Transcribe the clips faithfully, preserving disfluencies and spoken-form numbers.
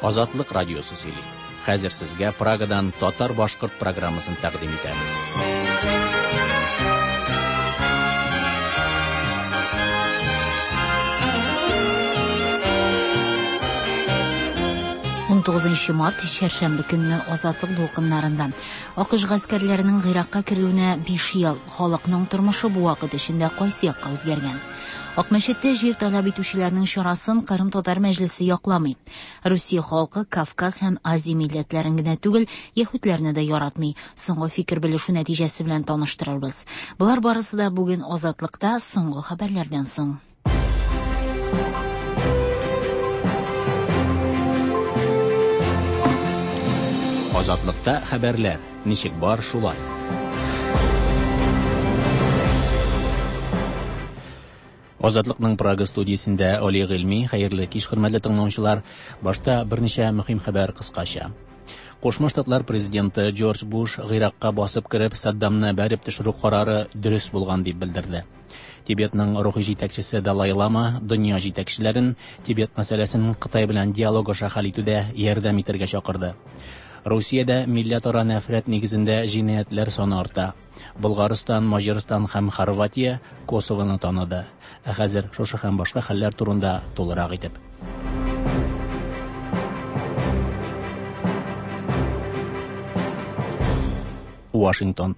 Азатлык радиосы сөйли. Хәзер сезгә Прагадан татар-башкорт программасын тәкъдим итәбез. Унтугызынчы март чәршәмбе көнне Азатлык дулкыннарында АКШ гаскәрләренең Гыйракка керүенә биш ел, халыкның тормышы бу вакыт эчендә кайсы якка үзгәргән? Акмәчеттә җир таләп итүчеләрнең чарасын Кырым татар мәҗлесе якламый. Русия халкы Кавказ һәм Азия милләтләрен генә түгел, яһүдләрне дә яратмый. Соңгы фикер белешү нәтиҗәсе белән таныштырырбыз. Болар барысы да бүген Азатлыкта соңгы хәбәрләрдән соң. Азатлыкта хәбәрләр ничек бар шулай. Азатлыкның Прага студиясендә Али Гыйльми, хәерле кич, хөрмәтле тыңлаучылар. Башта берничә мөһим хәбәр кыскача. Кушма Штатлар президенты Джордж Буш Гыйракка басып кереп Саддамны бәреп төшерү карары дөрес булган дип белдерде. Тибетның рухи җитәкчесе Далай Лама дөнья җитәкчеләрен Тибет мәсьәләсен Кытай белән диалог аша хәл итүдә ярдәм итәргә чакырды. Русиядә милләтара нәфрәт нигезендә җинаятьләр саны арта. Болгарстан, Маҗарстан һәм Хорватия Косовоны таныды. Ә хәзер шушы һәм башка хәлләр турында тулырак итеп. Вашингтон.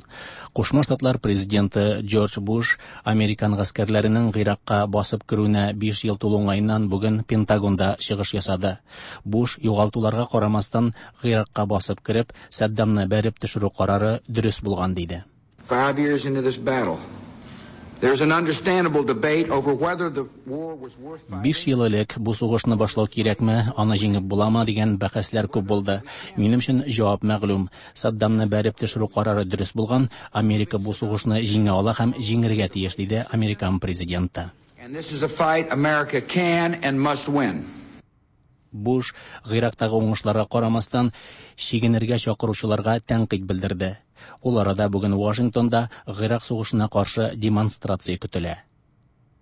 Кушма Штатлар президенты Джордж Буш американ гаскәрләренең Гыйракка басып керүенә биш ел тулу уңаеннан бүген Пентагонда чыгыш ясады. Буш югалтуларга карамастан Гыйракка басып кереп, Саддамны бәреп төшерү карары дөрес булган диде. Five years into this battle, there's an understandable debate over whether the war was worth fighting. Биш ел элек бу сугышны башлау кирәкме, аны җиңеп буламы дигән бәхәсләр күп булды. Минем өчен җавап мәгълүм. Саддамны бәреп төшерү карары дөрес булган, Америка бу сугышны җиңә ала һәм җиңергә тиеш, диде американ президенты. And this is a fight America can and must win. Буш Гыйрактагы уңышларга карамастан чигенергә чакыручыларга тәнкыйть белдерде. Ул арада бүген Вашингтонда Гыйрак сугышына каршы демонстрация көтелә.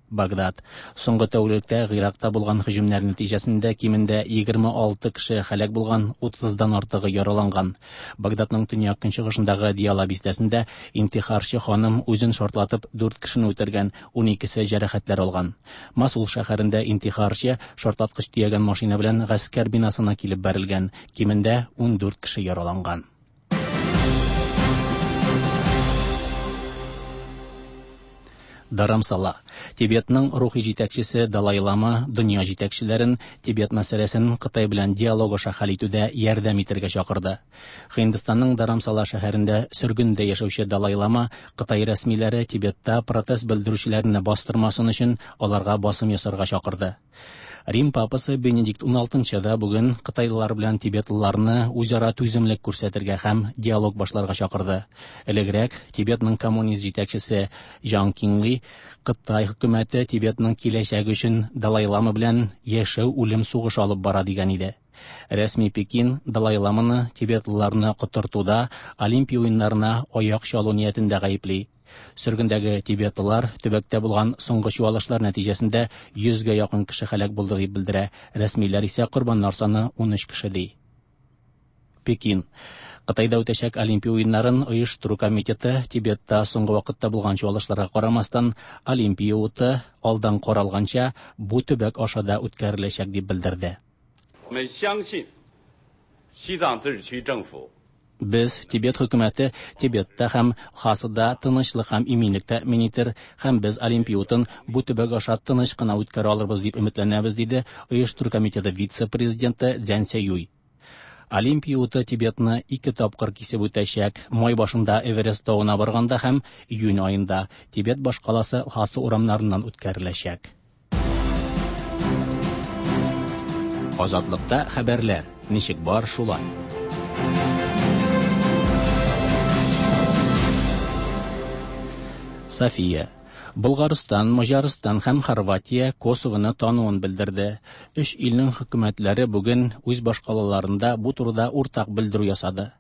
Багдад. Соңгы тәүлектә Гыйракта булган һөҗүмнәр нәтиҗәсендә кимендә егерме алты кеше һәлак булган, утыздан артыгы яраланган. Багдадның төньяк көнчыгышындагы Диала бистәсендә интихарчы ханым үзен шартлатып дүрт кешене үтергән, уникесе җәрәхәтләр алган. Масул шәһәрендә интихарчы шартлаткыч төягән машина белән гаскәр бинасына килеп бәрелгән, кимендә ундүрт кеше яраланган. Dharamsala. Тибетның рухи җитәкчесе Далай Лама дөнья җитәкчеләрен Тибет мәсьәләсен Кытай белән диалог аша хәл итүдә ярдәм итәргә чакырды. Һиндстанның Dharamsala шәһәрендә сөргендә яшәүче Далай Лама Кытай рәсмиләре Тибетта протест белдерүчеләрне бастырмасын өчен аларга басым ясарга чакырды. Рим папасы Бенедикт уналтынчы да бүген кытайлылар белән тибетлыларны үзара түземлек күрсәтергә һәм диалог башларга чакырды. Элегрәк Тибетның коммунист җитәкчесе Жан Кинли Кытай хөкүмәте Тибетның киләчәге өчен Далай Лама белән яшәү үлем сугышы алып бара дигән иде. Рәсми Пекин Далай Ламаны тибетлыларны котыртуда Олимпия уеннарына аяк чалу ниятендә гаепли. Сөргендәге тибетлылар төбәктә булган соңгы чуалышлар нәтиҗәсендә йөзгә якын кеше һәлак булды дип белдерә. Рәсмиләр исә корбаннар саны унөч кеше ди. Пекин. Кытайда үтәчәк Олимпия уеннарын оештыру комитеты Тибетта соңгы вакытта булган чуалышларга карамастан Олимпия уты алдан каралганча бу төбәк аша да үткәреләчәк дип белдерде. Без Тибет хөкүмәте Тибетта һәм Лхасада тынычлык һәм иминлек тәэмин итер һәм без Олимпия утын бу төбәк аша тыныч кына үткәрә алырбыз дип өметләнәбез, диде оештыру комитеты вице-президенты Цзян Сяюй. Олимпия уты Тибетны ике тапкыр кисеп үтәчәк. Май башында Эверест тавына барганда һәм июнь аенда Тибет башкаласы Лхаса урамнарыннан үткәреләчәк. Азатлыкта хәбәрләр ничек бар шулай. София. Болгарстан, Маҗарстан һәм Хорватия Косовоны тануын белдерде. Өч илнең хөкүмәтләре бүген үз башкалаларында бу турыда уртак белдерү ясады.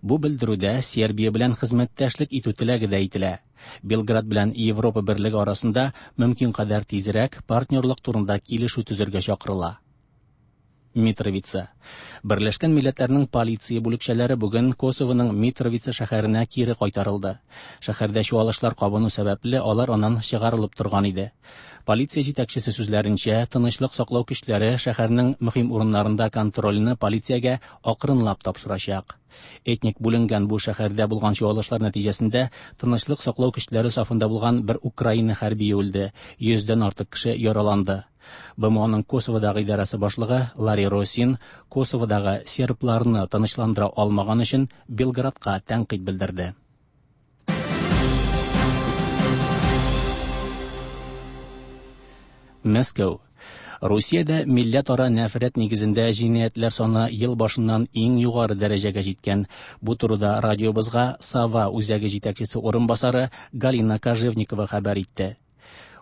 Бу белдерүдә Сербия белән хезмәттәшлек итү теләге дә әйтелә. Белград белән Европа берлеге арасында мөмкин кадәр тизрәк партнерлык турында килешү төзергә чакырыла. Митровица. Берләшкән Милләтләрнең полиция бүлекчәләре бүген Косовоның Митровица шәһәренә кире кайтарылды. Шәһәрдә чуалышлар кабыну сәбәпле алар аннан чыгарылып торган иде. Полиция җитәкчесе сүзләренчә, тынычлык саклау көчләре шәһәрнең мөһим урыннарында контрольне полициягә акрынлап тапшырачак. Этник бүленгән бу шәһәрдә булган чуалышлар нәтиҗәсендә тынычлык саклау көчләре сафында булган бер Украина хәрбие үлде, йөздән артык кеше яраланды. Бэ Эм Оның Косоводагы идарәсе башлыгы Ларри Росин Косоводагы сербларны тынычландыра алмаган өчен Белградка тәнкыйть белдерде. Мәскәү. Русиядә милләтара нәфрәт нигезендә җинаятьләр саны ел башыннан иң югары дәрәҗәгә җиткән. Бу турыда радиобызга Сава үзәге җитәкчесе урынбасары Галина Кожевникова хәбәр итте.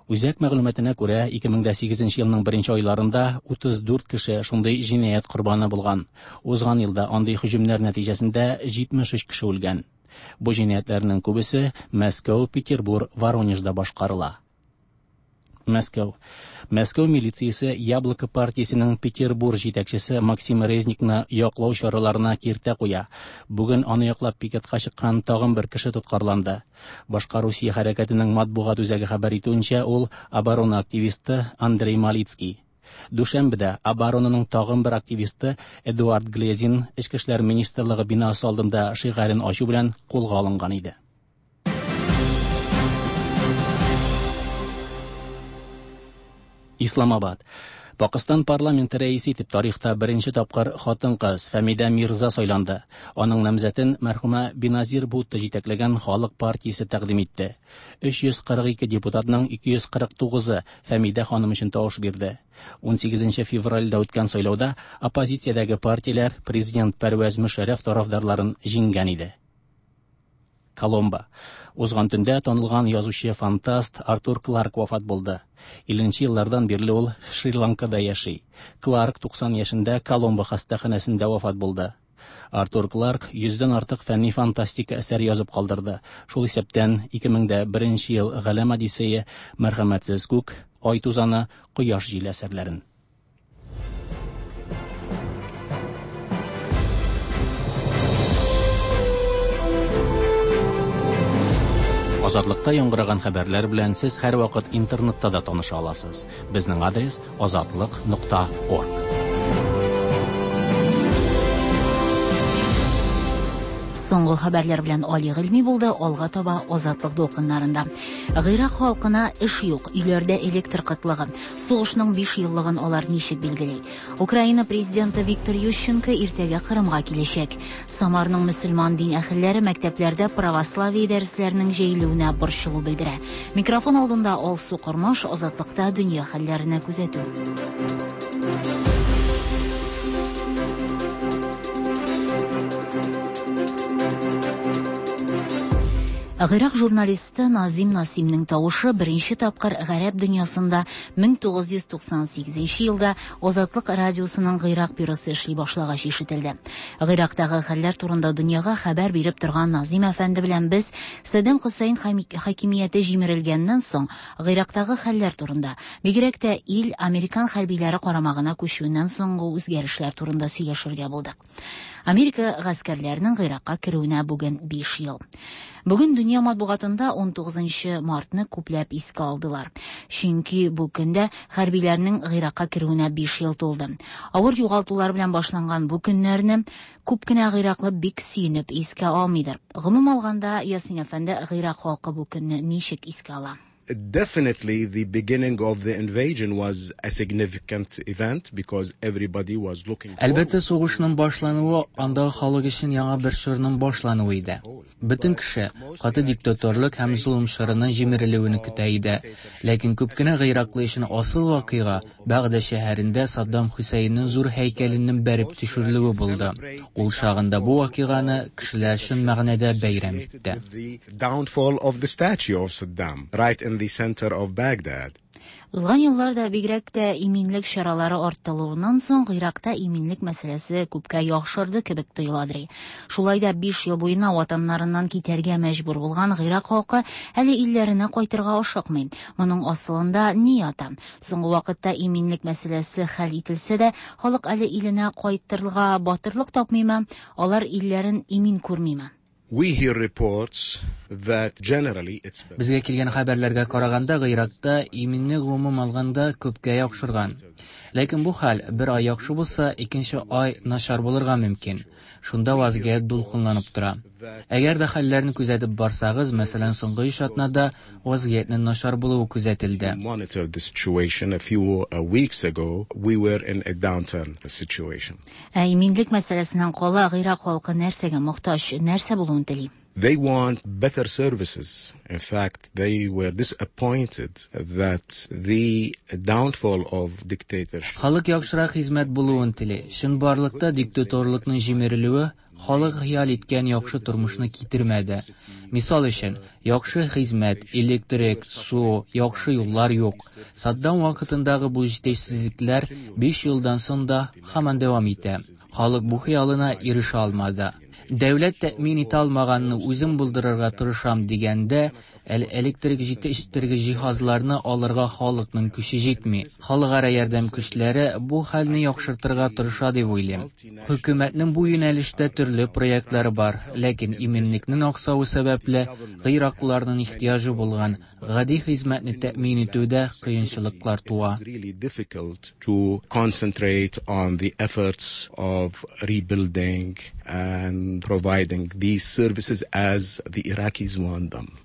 Үзәк мәгълүматына күрә, ике мең дә сигезенче елның беренче айларында утыз дүрт кеше шундый җинаять корбаны булган. Узган елда андый һөҗүмнәр нәтиҗәсендә җитмеш өч кеше үлгән. Бу җинаятьләрнең күбесе Мәскәү, Петербург, Воронежда башкарыла. Мәскәү. Мәскәү милициясе Яблоко партиясенең Петербург җитәкчесе Максим Резникны яклау чараларына киртә куя. Бүген аны яклап пикетка чыккан тагын бер кеше тоткарланды. Башка Русия хәрәкәтенең матбугат үзәге хәбәр итүенчә, ул оборона активисты Андрей Малицкий. Дүшәмбедә оборонаның тагын бер активисты Эдуард Глезин Эчке эшләр министрлыгы бинасы алдында шигарен ачу белән кулга алынган иде. Исламабад. Пакистан парламенты рәисе итеп тарихта беренче тапкыр хатын-кыз Фәмидә Мирза сайланды. Аның намзәтен мәрхүмә Беназир Бутто җитәкләгән Халык партиясе тәкъдим итте. Өч йөз кырык ике депутатның ике йөз кырык тугызы Фәмидә ханым өчен тавыш бирде. Ун сигезенче февральдә үткән сайлауда оппозициядәге партияләр президент Пәрвәз Мөшәррәф тарафдарларын җиңгән иде. Коломбо. Узган төндә танылган язучы-фантаст Артур Кларк вафат булды. Илленче еллардан бирле ул Шри-Ланкада яши. Кларк туксан яшендә Коломбо хастаханәсендә вафат булды. Артур Кларк йөздән артык фәнни фантастика әсәре язып калдырды. Шул исәптән ике мең дә беренче ел Галәм Одиссея, Мәрхәмәтсез күк, Ай тузаны, Кояш җиле әсәрләрен. Азатлыкта яңгыраган хәбәрләр белән сез һәр вакыт интернетта да таныша аласыз. Безнең адрес азатлык нокта орг. Соңгы хәбәрләр белән Али Гыйльми булды, алга таба Азатлык дулкыннарында. Гыйрак халкына эш юк, өйләрдә электр кытлыгы. Сугышның биш еллыгын алар ничек билгели? Украина президенты Виктор Ющенко иртәгә Кырымга киләчәк. Самарның мөселман дин әһелләре мәктәпләрдә православие дәресләренең җәелүенә борчылу белдерә. Микрофон алдында Алсу Кормаш, Азатлыкта дөнья хәлләренә күзәтү. Гыйрак журналисты Назим Насимнең тавышы беренче тапкыр гарәп дөньясында мең тугыз йөз туксан сигезенче елда Азатлык радиосының Гыйрак бюросы эшли башлагач ишетелде. Гыйрактагы хәлләр турында дөньяга хәбәр биреп торган Назим әфәнде белән без Саддам Хөсәйн хакимияте җимерелгәннән соң Гыйрактагы хәлләр турында, бигрәк тә ил американ хәрбиләре карамагына күчүеннән соңгы үзгәрешләр турында сөйләшергә булдык. Америка гаскәрләренең Гыйракка керүенә бүген биш ел. Бүген дөнья матбугатында ун тугызынчы мартны күпләп искә алдылар. Чөнки бу көндә хәрбиләрнең Гыйракка керүенә биш ел тулды. Авыр югалтулар белән башланган бу көннәрне күп кенә гыйраклы бик сөенеп искә алмыйдыр. Гомум алганда, Ясин әфәнде, Гыйрак халкы бу көнне ничек искә ала? Definitely the beginning of the invasion was a significant event because everybody was looking forward. Әлбәттә, сугышның башлануы андагы халык өчен яңа бер чорның башлануы иде. Бөтен кеше каты диктаторлык һәм золым чорының җимерелүен көтә иде. Ләкин күп кенә гыйраклы өчен асыл вакыйга Багдад шәһәрендә Саддам Хөсәйннең зур һәйкәленең бәреп төшерелүе булды. Ул чагында бу вакыйганы кешеләр чын мәгънәдә бәйрәм итте. The downfall of the statue of Saddam right in in the center of Baghdad. Узган елларда бигрәк тә иминлек чаралары арттырылуыннан соң Гыйракта иминлек мәсьәләсе күпкә яхшырды кебек тоеладыр. Шулай да биш ел буена ватаннарыннан китәргә мәҗбүр булган Гыйрак халкы әле илләренә кайтырга ашыкмый. Моның асылында ни ята? Соңгы вакытта иминлек мәсьәләсе хәл ителсә дә, халык әле иленә кайтырга батырлык тапмыймы? Алар илләрен имин күрмиме? We hear reports that generally it's better. Безгә килгән хәбәрләргә караганда, Гыйракта иминлек гомум алганда күпкә яхшырган. Ләкин бу хәл бер ай яхшы булса, икенче ай начар булырга мөмкин. Шунда вазгыять дулкынланып тора. Әгәр дә хәлләрне күзәтеп барсагыз, мәсәлән, соңгы өч атнада вазгыятьнең начар булуы күзәтелде. Monitor the situation. A few uh, weeks ago, we were in a downturn situation. Ә иминлек мәсьәләсеннән кала Гыйрак халкы нәрсәгә мохтаҗ, нәрсә булуын тели? They want better services. In fact, they were disappointed that the downfall of dictatorship. Халык яхшырак хезмәт булуын тели. Чынбарлыкта диктаторлыкның җимерелүе халык хыял иткән яхшы тормышны китермәде. Мисал өчен, яхшы хезмәт, электрик, су, яхшы юллар юк. Саддам вакытындагы бу җитешсезлекләр биш елдан соң да һаман дәвам итә. Халык бу хыялына ирешә алмады. Дәүләт тәэмин итә алмаганны үзем булдырырга тырышам дигәндә, әле электрик җитештерге җиһазларны алырга халыкның көче җитми. Халыкара ярдәм көчләре бу хәлне яхшыртырга тырыша дип уйлыйм. Хөкүмәтнең бу юнәлештә төрле проектлары бар, ләкин иминлекнең аксавы сәбәпле гыйраклыларның ихтыяҗы булган гади хезмәтне тәэмин итүдә кыенчылыклар туа. It's really difficult to concentrate on the efforts of rebuilding and providing these services as the Iraqis want them.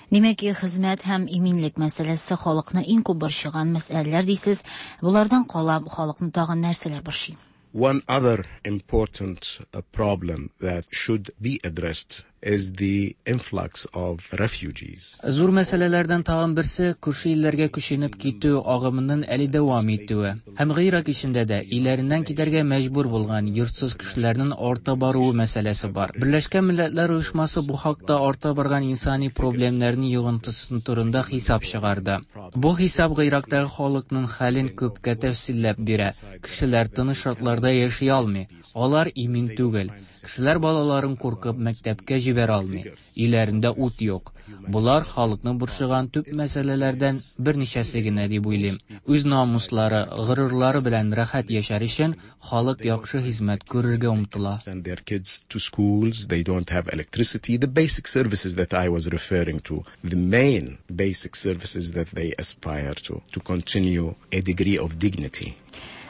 Димәк, хезмәт һәм иминлек мәсьәләсе халыкны иң күп борчыган мәсьәләләр дисез. Булардан кала халыкны тагын нәрсәләр борчый? One other important uh, problem that should be addressed is the influx of refugees. Зур мәсьәләләрдән тагын берсе күрше илләргә күченеп китү агымының әле дәвам итүе. Һәм Гыйрак эчендә дә илләреннән китәргә мәҗбүр булган йортсыз кешеләрнең арта баруы мәсьәләсе бар. Берләшкән Милләтләр Оешмасы бу хакта арта барган инсани проблемнарның йогынтысы турында хисап чыгарды. Бу хисап Гыйрактагы халыкның хәлен күпкә тәфсилләп бирә. Кешеләр тыныч шартларда яши алмый. Алар имин түгел. Кешеләр балаларын куркып мәктәпкә җибәрә алмый. Өйләрендә ут юк. Булар халыкны борчыган төп мәсьәләләрдән берничәсе генә дип уйлыйм. Үз намуслары, горурлары белән рәхәт яшәр өчен халык яхшы хезмәт күрергә омтыла. Send their kids to schools, they don't have electricity, the basic services that I was referring to, the main basic services that they aspire to, to continue a degree of dignity.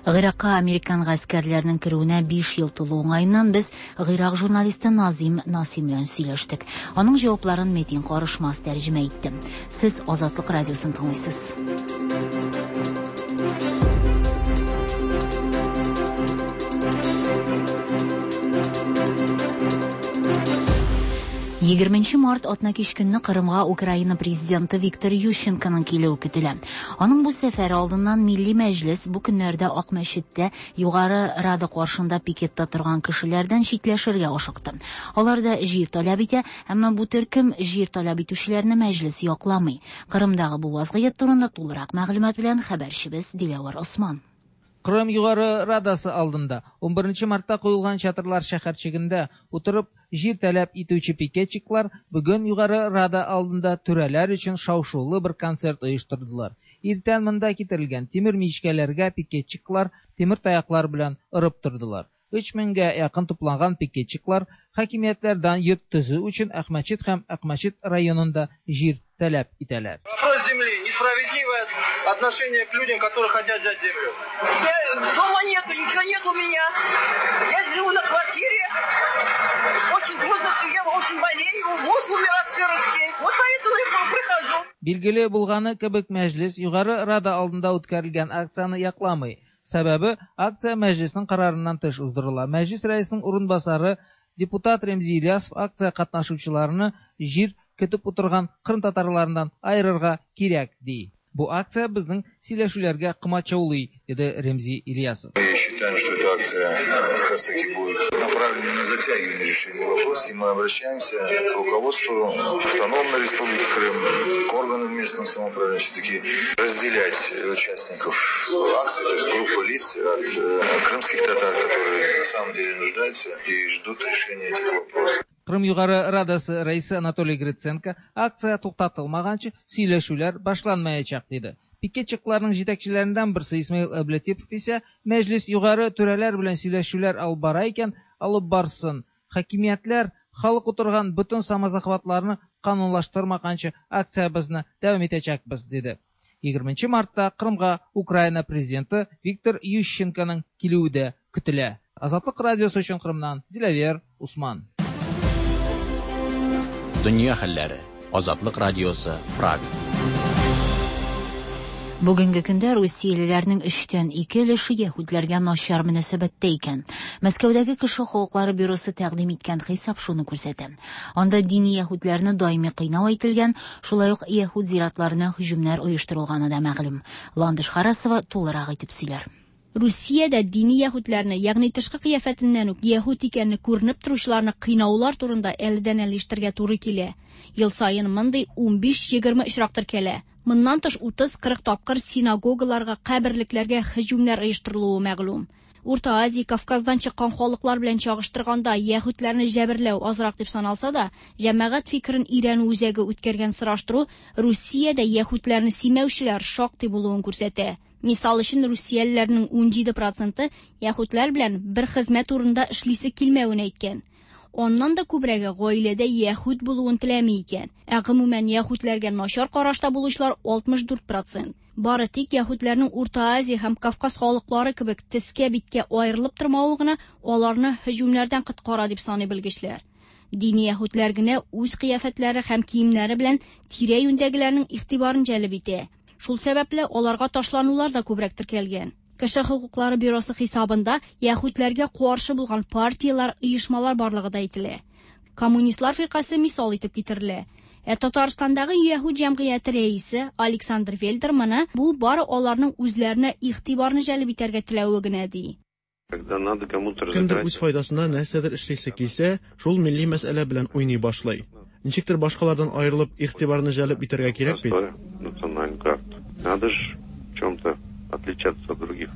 Гыйракка американ гаскәрләренең керүенә биш ел тулу уңаеннан без Гыйрак журналисты Назим Насим белән сөйләштек. Аның җавапларын Метин Карышмас тәрҗемә итте. Сез Азатлык радиосын тыңлыйсыз. Егерменче март атнакич көнне Кырымга Украина президенты Виктор Ющенконың килүе көтелә. Аның бу сәфәре алдыннан Милли Мәҗлес бу көннәрдә Акмәчеттә Югары Рада каршында пикетта торган кешеләрдән читләшергә ашыкты. Алар да җир таләп итә, әмма бу төркем җир таләп итүчеләрне мәҗлес якламый. Кырымдагы бу вазгыять турында тулырак мәгълүмат белән хәбәрчебез Диләвәр Осман. Кырым Югары Радасы алдында он беренче мартта куелган чатырлар шәһәрчегендә утырып җир таләп итүче пикетчиклар бүген Югары Рада алдында түрәләр өчен шау-шулы бер концерт оештырдылар. Иртән монда китерелгән тимер мичкәләргә пикетчиклар тимер таяклар белән ырып тордылар. Өч меңгә якын тупланган пикетчиклар хакимиятләрдән йорт төзү өчен Акмәчет һәм Акмәчет районында җир таләп итәләр. Вопрос земли, несправедливое отношение к людям, которые хотят взять землю. Я, дома нету, ничего нет у меня. Я живу на квартире. Очень трудно, я очень болею, муж умер от сырости. Вот поэтому я прихожу. Билгеле булганы кебек мәҗлес Югары Рада алдында үткәрелгән акцияне якламый. Сәбәбе акция мәҗлеснең карарыннан тыш уздырыла. Мәҗлес рәисенең урынбасары депутат Ремзи Ильясов акция катнашучыларны җир көтеп утырган кырым татарларыннан айырырга кирәк ди. Бу акция безнең сөйләшүләргә комачаулый, диде Ремзи Ильясов. Мы считаем, что эта акция как раз таки будет направлена на затягивание решения вопроса, и мы обращаемся к руководству Автономной Республики Крым, к органам местного самоуправления, все-таки разделять участников акции, то есть группу лиц от крымских татар, которые на самом деле нуждаются и ждут решения этих вопросов. Крым Югары Радасы рәисе Анатолий Гриценко акция туктатылмаганчы сөйләшүләр башланмаячак диде. Пикетчикларның җитәкчеләреннән берсе Исмаил Әбләтипов исә мәҗлис югары түрәләр белән сөйләшүләр алып бара икән, алып барсын. Хакимиятләр халык утырган бөтен самозахватларны канунлаштырмаганчы акциябезне дәвам итәчәкбез, диде. егерменче мартта Крымга Украина президенты Виктор Ющенконың килүе дә көтелә. Азатлык радиосы өчен Крымнан Диләвер Усман. Дөнья хәлләре. Азатлык радиосы, Прага. Бүгенге көндә русиялеләрнең өчтән ике өлеше яһүдләргә начар мөнәсәбәттә икән. Мәскәүдәге кеше хокуклары бюросы тәкъдим иткән хисап шуны күрсәтә. Анда дини яһүдләрне даими кыйнау әйтелгән, шулай ук яһүд зиратларына һөҗүмнәр оештырылганы да мәгълүм. Ландыш Харасова тулырак итеп сөйләр. Русиядә дини яһүдләрне, ягъни тышкы кыяфәтеннән үк яһүд икәнне күренеп торучыларны кыйнаулар турында әледән-әле ишетергә туры килә. Ел саен мондый унбиш-егерме очрак теркәлә. Моннан тыш утыз-кырык тапкыр синагогаларга, каберлекләргә һөҗүмнәр оештырылуы мәгълүм. Урта Азия, Кавказдан чыккан халыклар белән чагыштырганда яһүдләрне җәберләү азрак дип саналса да, җәмәгать фикерен өйрәнү үзәге үткәргән сораштыру Русиядә яһүдләрне симәүчеләр шактый булуын күрсәтә. Мисал өчен, русиялеләрнең унҗиде проценты яһүдләр белән бер хезмәт урынында эшлисе килмәвен әйткән. Аннан да күбрәге гаиләдә яһүд булуын теләми икән. Ә гомумән яһүдләргә начар карашта булучылар алтмыш дүрт процент. Бары тик яһүдләрнең Урта Азия һәм Кавказ халыклары кебек тескә биткә аерылып тормавы гына аларны һөҗүмнәрдән коткара дип саный белгечләр. Дини яһүдләр генә үз кыяфәтләре һәм киемнәре белән тирә-юньдәгеләрнең игътибарын җәлеп итә. Шул сәбәпле аларга ташланулар да күбрәк теркәлгән. Кеше хокуклары бюросы хисабында яһүдләргә каршы булган партияләр, оешмалар барлыгы да әйтелә. Коммунистлар фиркасе мисал итеп китерелә. Ә Татарстандагы яһүд җәмгыяте рәисе Александр Вельдер моны бу бары аларның үзләренә игътибарны җәлеп итәргә теләве генә ди. Кемдер үз файдасына нәрсәдер эшлисе килсә, шул милли мәсьәлә белән уйный башлый. Ничектер башкалардан аерылып игътибарны җәлеп итәргә кирәк бит. Надо ж в чем-то отличаться от других.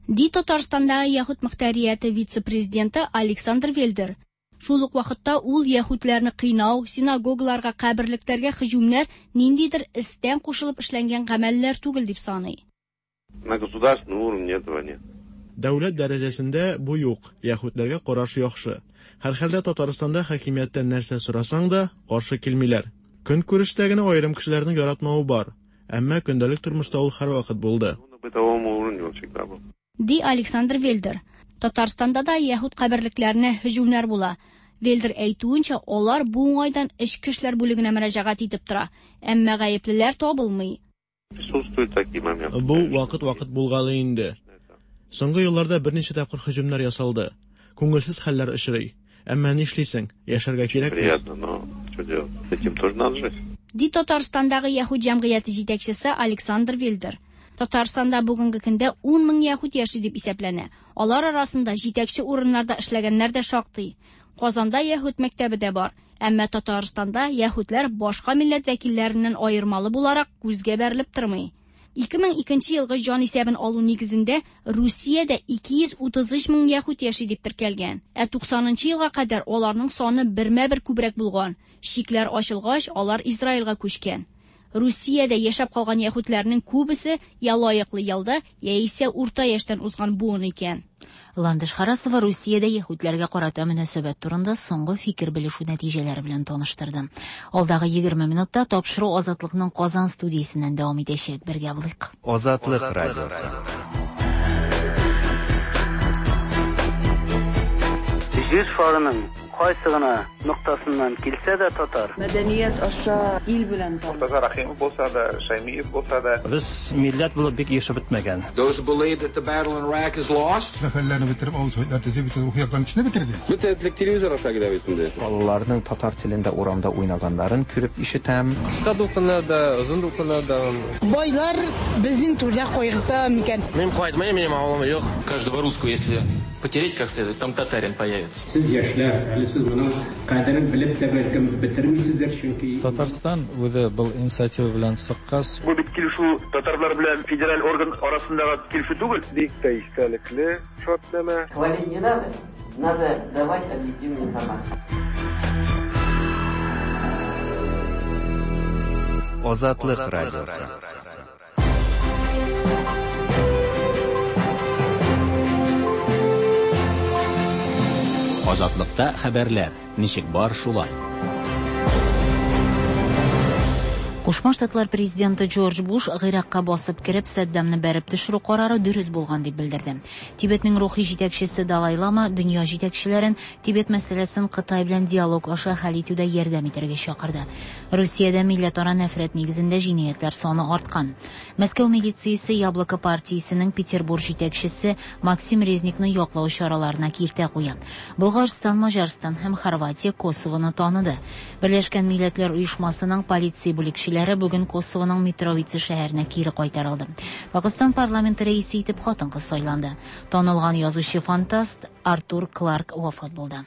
Ди Татарстандагы яһүд мөхтәрияте вице-президенты Александр Вельдер. Шул ук вакытта ул яһүдләрне кыйнау, синагогаларга, каберлекләргә һөҗүмнәр ниндидер истән кушылып эшләнгән гамәлләр түгел дип саный. На государственном уровне этого нет. Дәүләт дәрәҗәсендә бу юк. Яһүдләргә караш яхшы. Һәр хәлдә Татарстанда хакимияттән нәрсә сорасаң да каршы килмиләр. Көнкүрештә генә аерым кешеләрнең яратмавы бар. Әмма көндәлек тормышта ул һәрвакыт булды. Ди Александр Вельдер. Татарстанда да яһүд каберлекләренә һөҗүмнәр була. Вельдер әйтүенчә, алар бу уңайдан эчке эшләр бүлегенә мөрәҗәгать итеп тора. Әмма гаеплеләр табылмый. Бу вакыт-вакыт булгалы инде. Соңгы елларда берничә тапкыр һөҗүмнәр ясалды. Күңелсез хәлләр очрый. Әмма нишлисең? Яшәргә кирәк. Приятно, но что делать? С этим тоже надо жить. Ди Татарстандагы яһүд җәмгыяте җитәкчесе Александр Вельдер. Татарстанда бүгенге көндә ун мең яһүд яши дип исәпләнә. Алар арасында җитәкче урыннарда эшләгәннәр дә шактый. Казанда яһүд мәктәбе дә бар. Әмма Татарстанда яһүдләр башка милләт вәкилләреннән аермалы буларак күзгә бәрелеп тормый. ике мең икенче елгы җан исәбен алу нигезендә Русиядә ике йөз утыз өч мең яһүд яши дип теркәлгән. Ә туксанынчы елга кадәр аларның саны бермә-бер күбрәк булган. Чикләр ачылгач, алар Израильгә күчкән. Русиядә яшәп калган яһүдләрнең күбесе я лаеклы ялда, яисә урта яшьтән узган буын икән. Ландыш Харасова Русиядә яһүдләргә карата мөнәсәбәт турында соңгы фикер белешү нәтиҗәләре белән таныштырды. Алдагы егерме минутта тапшыру Азатлыкның Казан студиясеннән дәвам итәчәк. Бергә булыйк. Азатлык радиосы. Җир шарының Кайсы гына ноктасыннан килсә дә татар. Мәдәният аша ил белән таныш. Мортаза Рахимов булса да, Шаймиев булса да. Без милләт булып бик ешып бетмәгән. Those who believe that the battle in Iraq is lost. Мәхәлләне бетереп, авыл советлар төзеп, бөтен рухи яктан кешене бетерде. Бөтен телевизор аша килә бит инде. Балаларның татар телендә урамда уйнаганнарын күреп ишетәм. Кыска дулкыннарда, озын дулкыннарда. Байлар безнең түрдә кайгырта микән? Мин кайтмыйм, минем авылым юк. Каждого русского, если потереть как следует, там татарин появится. Сез яшьләр, әле сез моның кадерен белеп тә бәлкем бетермисездер, чөнки Татарстан үзе был инициатива белән чыккач. Бу бит килешү татарлар белән федераль орган арасындагы килешү түгел. Бик тә истәлекле шартнамә. Хвалить не надо, надо давать объективную информацию. Азатлык радиосы. Азатлыкта хәбәрләр ничек бар шулай. Кушма Штатлар президенты Джордж Буш Гыйракка басып кереп Саддамны бәреп төшерү карары дөрес булган дип белдерде. Тибетнең рухи җитәкчесе Далай Лама дөнья җитәкчеләрен Тибет мәсьәләсен Кытай белән диалог аша хәл итүдә ярдәм итәргә чакырды. Русиядә милләтара нәфрәт нигезендә җинаятьләр саны арткан. Мәскәү милициясе Яблоко партиясенең Петербург җитәкчесе Максим Резникны яклау чараларына киртә куя. Болгарстан, Маҗарстан һәм Хорватия Косовоны таныды. Берләшкән Милләтләр Оешмасының полиция бүлекчеләре бүген Косовоның Митровица шәһәренә кире кайтарылды. Пакистан парламенты рәисе итеп хатын-кыз сайланды. Танылган язучы-фантаст Артур Кларк вафат булды.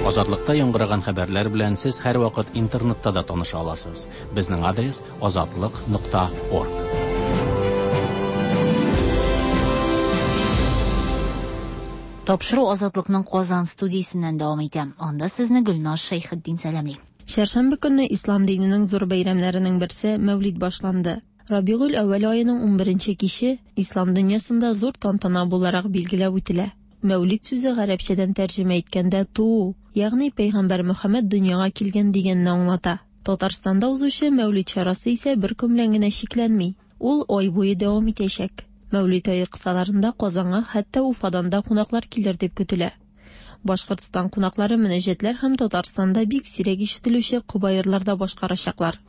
Азатлыкта яңгыраган хәбәрләр белән сез һәрвакыт интернетта да таныша аласыз. Безнең адрес азатлык нокта орг. Тапшыру Азатлыкның Казан студиясеннән дәвам итә. Анда сезне Гөлназ Шәйхетдин сәламли. Чәршәмбе көнне ислам диненең зур бәйрәмнәренең берсе Мәүлид башланды. Рабигуль әүвәл аеның унберенче киче ислам дөньясында зур тантана буларак билгеләп үтелә. Мәүлид сүзе гарәпчәдән тәрҗемә иткәндә туу, ягъни пәйгамбәр Мөхәммәд дөньяга килгән дигәнне аңлата. Татарстанда узучы Мәүлид чарасы исә бер көн белән генә чикләнми. Ул ай буе дәвам итәчәк. Мәүлид ае кысаларында Казанга хәтта Уфадан да кунаклар килер дип көтелә. Башкортстан кунаклары мөнәҗәтләр һәм Татарстанда бик сирәк ишетелүче кобаерларда башкарачаклар.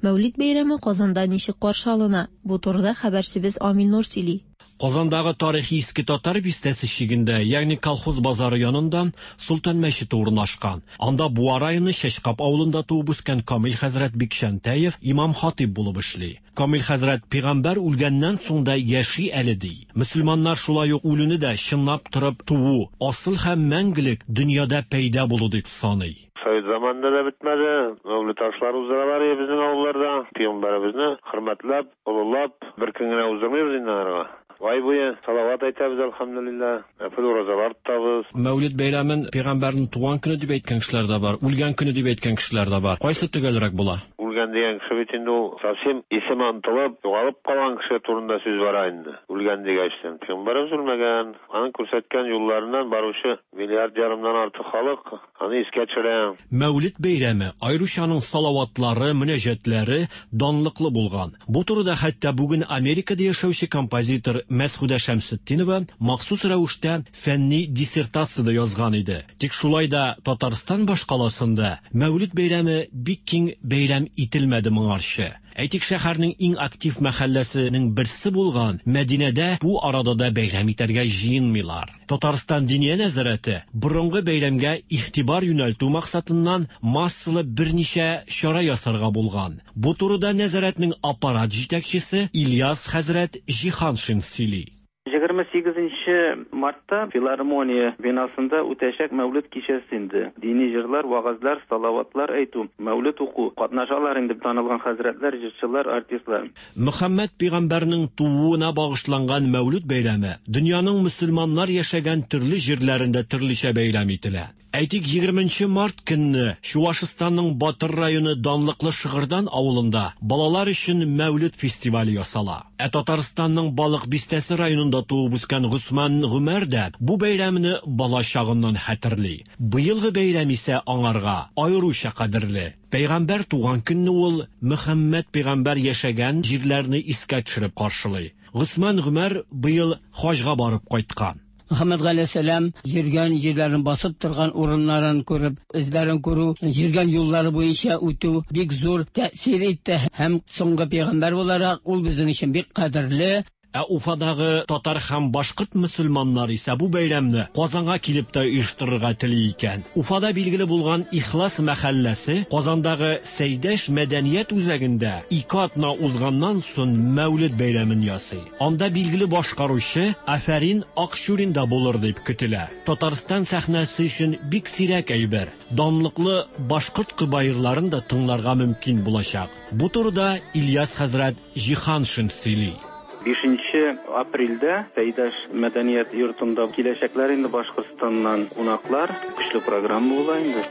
Мәүлид бәйрәме Казанда ничек каршы алына? Бу турыда хәбәрчебез Амил Нур сөйли. Казандагы тарихи Иске Татар бистәсе чигендә, ягъни колхоз базары янында Султан мәчете урнашкан. Анда Буа районы Чәчкап авылында туып үскән Камил хәзрәт Бикшәнтәев имам хатиб булып эшли. Камил хәзрәт пәйгамбәр үлгәннән соң да яши әле ди. Мөселманнар шулай ук үлүне дә чынлап торып туу, асыл һәм мәңгелек дөньяда пәйда булу дип саный. Совет заманында да бетмәде. Мәүлид ашлары уздыралар безнең авылларда. Пәйгамбәребезне хөрмәтләп, олылап, бер көн генә уздырмыйбыз инде аларга. Ай буе салават әйтәбез, әлхәмдүлилләһ. Нәфил уразалар тотабыз. Мәүлид бәйрәмен пәйгамбәрнең туган көне дип әйткән кешеләр дә бар, үлгән көне дип әйткән кешеләр дә бар. Кайсы төгәлрәк була? Үлгән дигән кеше бит инде ул совсем исеме онытылып, югалып калган кеше турында сүз бара инде. Үлгән дигәчтен пәйгамбәребез үлмәгән, аның күрсәткән юлларыннан баручы миллиард ярымнан артык халык аны искә төшерә. Мәүлид бәйрәме аеруча аның салаватлары, мөнәҗәтләре данлыклы булган. Бу турыда хәтта бүген Америкада яшәүче композитор Мәсхүдә Шәмсетдинова махсус рәвештә фәнни диссертация да язган иде. Тик шулай да Татарстан башкаласында Мәүлид бәйрәме бик киң бәйрәм ителмәде моңарчы. Әйтик, шәһәрнең иң актив мәхәлләсенең берсе булган Мәдинәдә бу арада да бәйрәм итәргә җыенмыйлар. Татарстан Диния нәзарәте борынгы бәйрәмгә игътибар юнәлтү максатыннан массалы берничә чара ясарга булган. Бу турыда нәзарәтнең аппарат җитәкчесе Ильяс хәзрәт Җиһаншин сөйли. Егерме сигезенче мартта филармония бинасында үтәчәк Мәүлид кичәсе инде. Дини җырлар, вагазлар, салаватлар әйтү, Мәүлид уку катнашалар инде танылган хәзрәтләр, җырчылар, артистлар. Мөхәммәд пәйгамбәрнең тууына багышланган Мәүлид бәйрәме дөньяның мөселманнар яшәгән төрле җирләрендә төрлечә бәйрәм ителә. Әйтик, егерменче март көнне Чувашстанның Батыр районы данлыклы Шыгырдан авылында балалар өчен Мәүлид фестивале ясала. Ә Татарстанның Балык Бистәсе районында туып үскән Госман Гомәр дә бу бәйрәмне бала чагыннан хәтерли. Быелгы бәйрәм исә аңарга аеруча кадерле. Пәйгамбәр туган көнне ул Мөхәммәд пәйгамбәр яшәгән җирләрне искә төшереп каршылый. Госман Гомәр быел хаҗга барып кайткан. Мөхәммәд галәйһиссәлам йөргән җирләрен, басып торган урыннарын күреп, эзләрен күрү, йөргән юллары буенча үтү бик зур тәэсир итте һәм соңгы пәйгамбәр буларак ул безнең өчен бик кадерле. Ә Уфадагы татар һәм башкорт мөселманнары исә бу бәйрәмне Казанга килеп тә оештырырга тели икән. Уфада билгеле булган Ихлас мәхәлләсе Казандагы Сәйдәш мәдәният үзәгендә ике атна узганнан соң Мәүлид бәйрәмен ясый. Анда билгеле башкаручы Афәрин Акчурин да булыр дип көтелә. Татарстан сәхнәсе өчен бик сирәк әйбер. Данлыклы башкорт кыбаирларын да тыңларга мөмкин булачак. Бу турыда Ильяс хәзрәт Җиһаншин сөйли. Бишенче апрельдә Сәйдәш мәдәният йортында киләчәкләр инде Башкортстаннан кунаклар. Көчле программа була инде.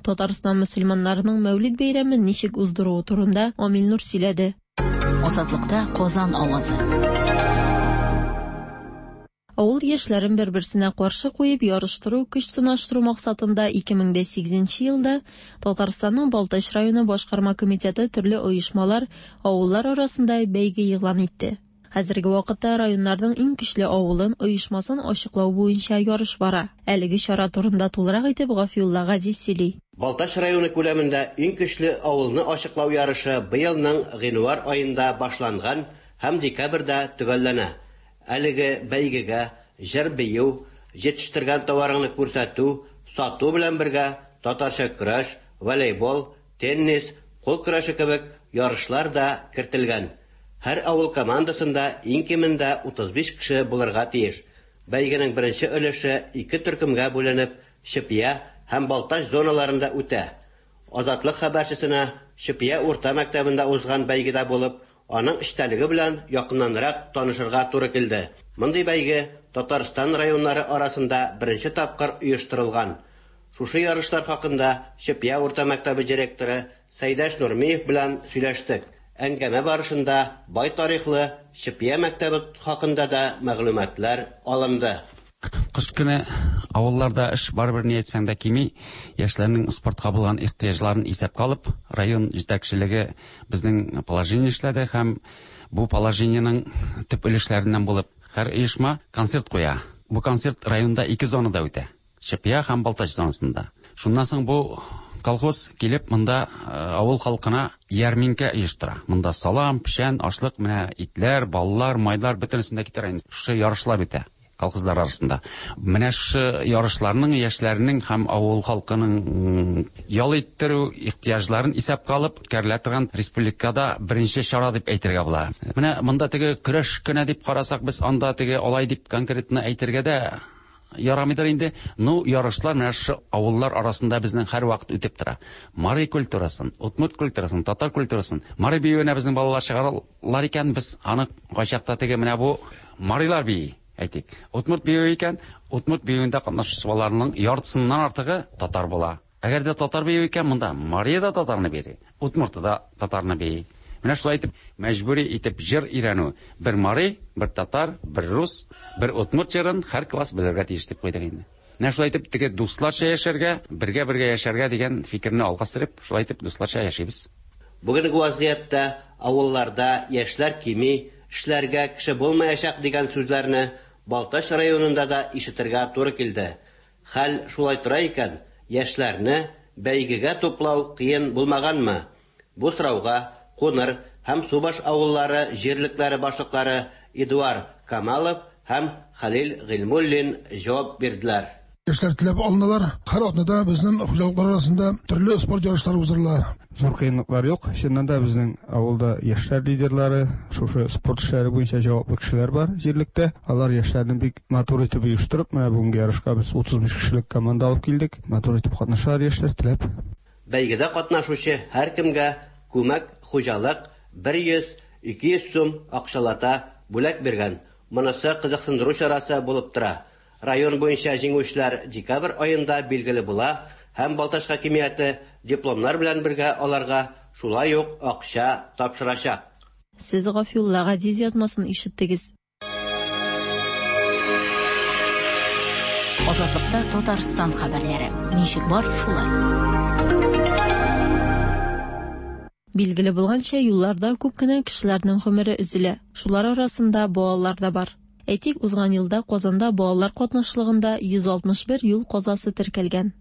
Татарстан мөселманнарының Мәүлид бәйрәмен ничек уздыруы турында Амил Нур сөйләде. Азатлыкта Казан авазы. Авыл яшьләрен бер-берсенә каршы куеп ярыштыру, көч сынаштыру максатында ике мең дә сигезенче елда Татарстанның Балтач районы башкарма комитеты төрле оешмалар, авыллар арасында бәйге игълан итте. Хәзерге вакытта районнарның иң көчле авылын, оешмасын ачыклау буенча ярыш бара. Әлеге чара турында тулырак итеп Гафиулла Газиз сөйли. Балтач районы күләмендә иң көчле авылны ачыклау ярышы быелның гыйнвар аенда башланган һәм декабрьдә төгәлләнә. Әлеге бәйгегә җыр бию, җитештергән товарыңны күрсәтү, сату белән бергә татарча көрәш, волейбол, теннис, кул көрәше кебек ярышлар да кертелгән. Һәр авыл командасында иң кимендә утыз биш кеше булырга тиеш. Бәйгенең беренче өлеше ике төркемгә бүленеп, Чепья һәм Балтач зоналарында үтә. Азатлык хәбәрчесенә Чепья урта мәктәбендә узган бәйгедә булып, аның эчтәлеге белән якыннанрак танышырга туры килде. Мондый бәйге Татарстан районнары арасында беренче тапкыр оештырылган. Шушы ярышлар хакында Чепья урта мәктәбе директоры Сәйдәш Нурмиев белән сөйләштек. Әңгәмә барышында бай тарихлы Чепья мәктәбе хакында да мәгълүматлар алынды. Кыш көне авылларда эш барыбер ни әйтсәң дә кими, яшьләрнең спортка булган ихтыяҗларын исәпкә алып, район җитәкчелеге безнең положение эшләде һәм бу положениенең төп өлешләреннән булып һәр оешма концерт куя. Бу концерт районда ике зонада үтә. Чепья һәм Балтач зонасында. Шуннан соң бу колхоз килеп монда авыл халкына ярминкә оештыра. Монда салам, печән, ашлык, менә итләр, баллар, майлар бөтенесен дә китерә. Шушы ярышлар үтә колхозлар арасында. Менә шушы ярышларның яшьләрнең һәм авыл халкының ял иттерү ихтыяҗларын исәпкә алып үткәрелә торган республикада беренче чара дип әйтергә була. Менә монда теге көрәш кенә дип карасак, без анда теге алай дип конкретно әйтергә дә ярамыйдыр инде. Ну, ярышлар менә шушы авыллар арасында безнең һәрвакыт үтеп тора. Мари культурасын, удмурт культурасын, татар культурасын, мари биюенә безнең балалар чыгаралар икән, без аны кайчакта теге менә бу марилар бии әйтик. Удмурт биюе икән, удмурт биюендә катнашучы балаларның яртысыннан артыгы татар була. Әгәр дә татар биюе икән, монда мария да татарны бии, удмурты да татарны бии. Менә шулай итеп мәҗбүри итеп җыр өйрәнү. Бер мари, бер татар, бер рус, бер удмурт җырын һәр класс белергә тиеш дип куйдык инде. Менә шулай итеп теге дусларча яшәргә, бергә-бергә яшәргә дигән фикерне алга сөреп, шулай итеп дусларча яшибез. Бүгенге вазгыятьтә авылларда яшьләр кими, эшләргә кеше булмаячак дигән сүзләрне Балтач районында да ишетергә туры килде. Хәл шулай тора икән, яшьләрне бәйгегә туплау кыен булмаганмы? Бу сорауга Куныр һәм Субаш авыллары җирлекләре башлыклары Эдуард Камалов һәм Хәлил Гыйльмуллин җавап бирделәр. Яшьләр теләп алыналар. Һәр атнада безнең хуҗалыклар арасында төрле спорт ярышлары уздырыла. Зур кыенлыклар юк. Чыннан да безнең авылда яшьләр лидерлары, шушы спорт эшләре буенча җаваплы кешеләр бар җирлектә. Алар яшьләрне бик матур итеп оештырып, менә бүгенге ярышка без утыз биш кешелек команда алып килдек. Матур итеп катнашалар яшьләр, теләп. Бәйгедә катнашучы һәркемгә күмәк хуҗалык бер йөз ике йөз сум акчалата бүләк биргән. Монысы кызыксындыру чарасы булып тора. Район буенча җиңүчеләр декабрь аенда билгеле була һәм Балтач хакимияте дипломнар белән бергә аларга шулай ук акча тапшырачак. Сез Гафиулла Газиз язмасын ишеттегез. Азатлыкта Татарстан хәбәрләре. Ничек бар, шулай. Билгеле булганча, юлларда күп кенә кешеләрнең гомере өзелә. Шулар арасында балалар да бар. Әйтик, узган елда Казанда балалар катнашлыгында йөз алтмыш бер юл казасы теркәлгән.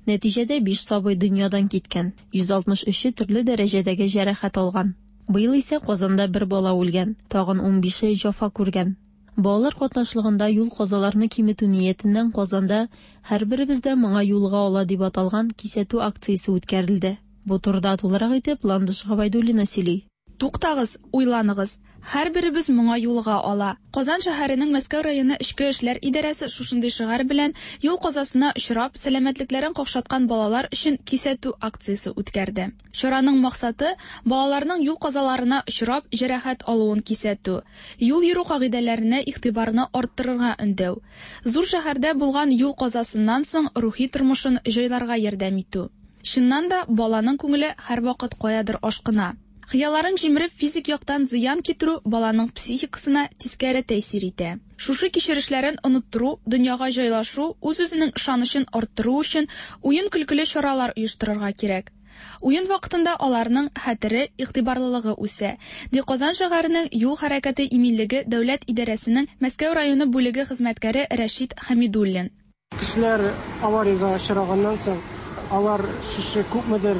Нәтиҗәдә биш сабый дөньядан киткән, йөз алтмыш өче төрле дәрәҗәдәге җәрәхәт алган. Быел исә Казанда бер бала үлгән, тагын ун бише җәфа күргән. Балалар катнашлыгында юл казаларны киметү ниятеннән Казанда һәрберебездә моңа юлга ала дип аталган кисәтү акциясе үткәрелде. Бу турыда тулырак итеп Ландыш Габайдуллина сөйли. Туктагыз, уйланыгыз. Һәрберебез моңа юлга ала. Казан шәһәренең Мәскәү районы Эчке эшләр идарәсе шушындый шигарь белән юл казасына очрап, сәламәтлекләрен какшаткан балалар өчен кисәтү акциясе үткәрде. Чараның максаты балаларның юл казаларына очрап, җәрәхәт алуын кисәтү, юл йөрү кагыйдәләренә игътибарны арттырырга өндәү, зур шәһәрдә булган юл казасыннан соң рухи тормышын җайларга ярдәм итү. Чыннан да баланың күңеле һәрвакыт каядыр ашкына. Хыялларын җимереп физик яктан зыян китерү баланың психикасына тискәре тәэсир итә. Шушы кичерешләрен оныттыру, дөньяга җайлашу, үз-үзенең ышанычын арттыру өчен уен-көлкеле чаралар оештырырга кирәк. Уен вакытында аларның хәтере, игътибарлылыгы үсә. Ди Казан шәһәренең юл хәрәкәте иминлеге дәүләт идарәсенең Мәскәү районы бүлеге хезмәткәре Рәшит Хәмидуллин. Кешеләр авариягә очраганнан соң алар шушы күпмедер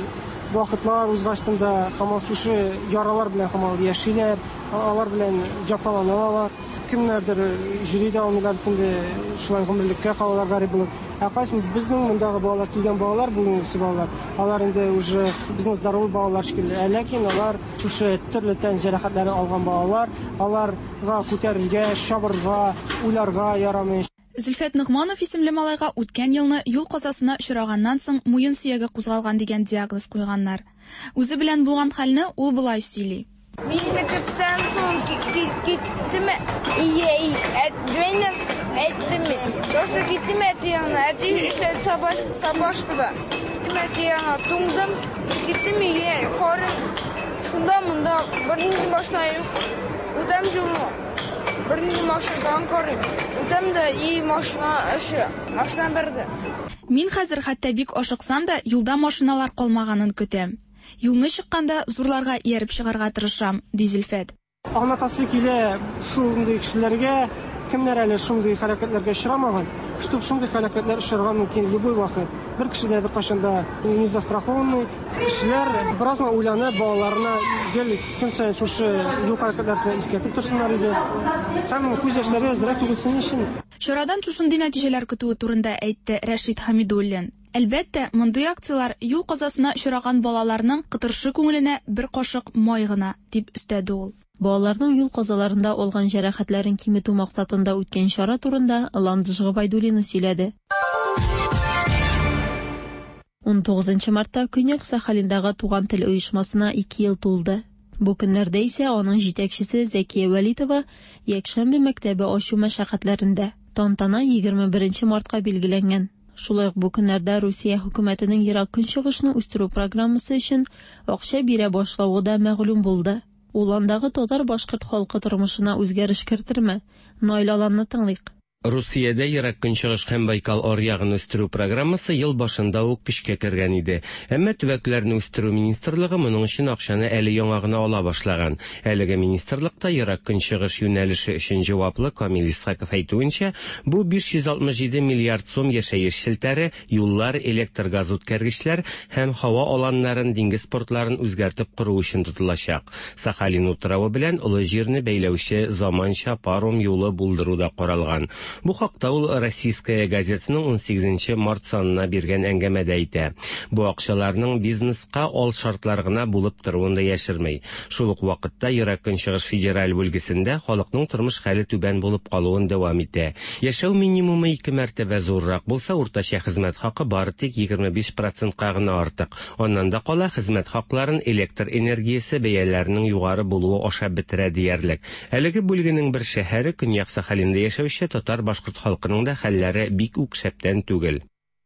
вакытлар узгачтан да һаман шушы яралар белән һаман яшиләр, алар белән җәфаланалар. Кемнәрдер йөри дә алмыйлар, инде шулай гомерлеккә калалар гарип булып. Ә кайсы безнең мондагы балалар, килгән балалар, бүгенгесе балалар, алар инде уже безнең здоровый балалар шикелле. Ә ләкин алар шушы төрле тән җәрәхәтләре алган балалар, аларга күтәрергә, чабырга, уйларга ярамый. Зөлфәт Ногманов исемле малайга үткән елны юл казасына очраганнан соң муен сөяге кузгалган дигән диагноз куйганнар. Үзе белән булган хәлне ул болай сөйли. Мин мәктәптән соң киттем, әйттем, просто киттем әти янына, әти эшләде сабашкада. Киттем әти янына, туңдым, киттем өйгә, карыйм, шунда монда бернинди машина юк, үтәм юлны. Бернинди машинадан карыйм. Үтәм дә и машина эше, машина берде. Мин хәзер хәтта бик ашыксам да юлда машиналар калмаганын көтәм. Юлны чыкканда зурларга ияреп чыгарга тырышам, ди Зөлфәт. Аңлатасы килә шундый кешеләргә, кемнәр әле шундый хәрәкәтләргә очрамаган, чтоб шундый хәрәкәтләр очрарга мөмкин любой вакыт. Бер кеше дә беркайчан да не застрахованный. Кешеләр бераз гына уйланып, балаларына гел көн саен шушы юл хәрәкәтләрен искәртеп торсыннар иде. Һәм күз яшьләре әзрәк түгелсен өчен. Чарадан шушындый нәтиҗәләр көтүе турында әйтте Рәшит Хәмидуллин. Әлбәттә, мондый акцияләр юл казасына очраган балаларның кытыршы күңеленә бер кашык май гына, дип өстәде ул. Балаларның юл казаларында алган җәрәхәтләрен киметү максатында үткән чара турында Ландыш Габайдуллина сөйләде. ун тугызынчы мартта Көньяк Сахалиндагы Туган тел оешмасына ике ел тулды. Бу көннәрдә исә аның җитәкчесе Зәкия Вәлитова якшәмбе мәктәбе ачу мәшәкатьләрендә. Тантана егерме беренче мартка билгеләнгән. Шулай ук бу көннәрдә Русия хөкүмәтенең Ерак Көнчыгышны үстерү программасы өчен акча бирә башлавы да мәгълүм булды. Ул андагы татар-башкорт халкы тормышына үзгәреш кертерме? Наил Аланны тыңлыйк. Русиядә Ерак Көнчыгыш һәм Байкал аръягын үстерү программасы ел башында ук көчкә кергән иде. Әмма төбәкләрне үстерү министрлыгы моның өчен акчаны әле яңа гына ала башлаган. Әлеге министрлыкта Ерак Көнчыгыш юнәлеше өчен җаваплы Камил Исхаков әйтүенчә, бу биш йөз алтмыш җиде миллиард сум яшәеш челтәре, юллар, электр газ үткәргечләр һәм һава аланнарын, диңгез портларын үзгәртеп кору өчен тотылачак. Сахалин утравы белән Олы җирне бәйләүче заманча паром юлы булдыру да каралган. Бу хакта ул Российская газетаның унсигезенче март санына биргән әңгәмәдә әйтә. Бу акчаларның бизнеска ал шартлар гына булып торуын да яшерми. Шул ук вакытта Ерак Көнчыгыш федераль бүлгесендә халыкның тормыш хәле түбән булып калуын дәвам итә. Яшәү минимумы ике мәртәбә зуррак булса, уртача хезмәт хакы бары тик егерме биш процентка гына артык. Аннан да кала хезмәт хакларын электр энергиясе бәяләренең югары булуы ашап бетерә диярлек. Әлеге бүлгенең бер шәһәре Көньяк Сахалинда яшәүче татар-башкорт халкының да хәлләре бик үк шәптән түгел.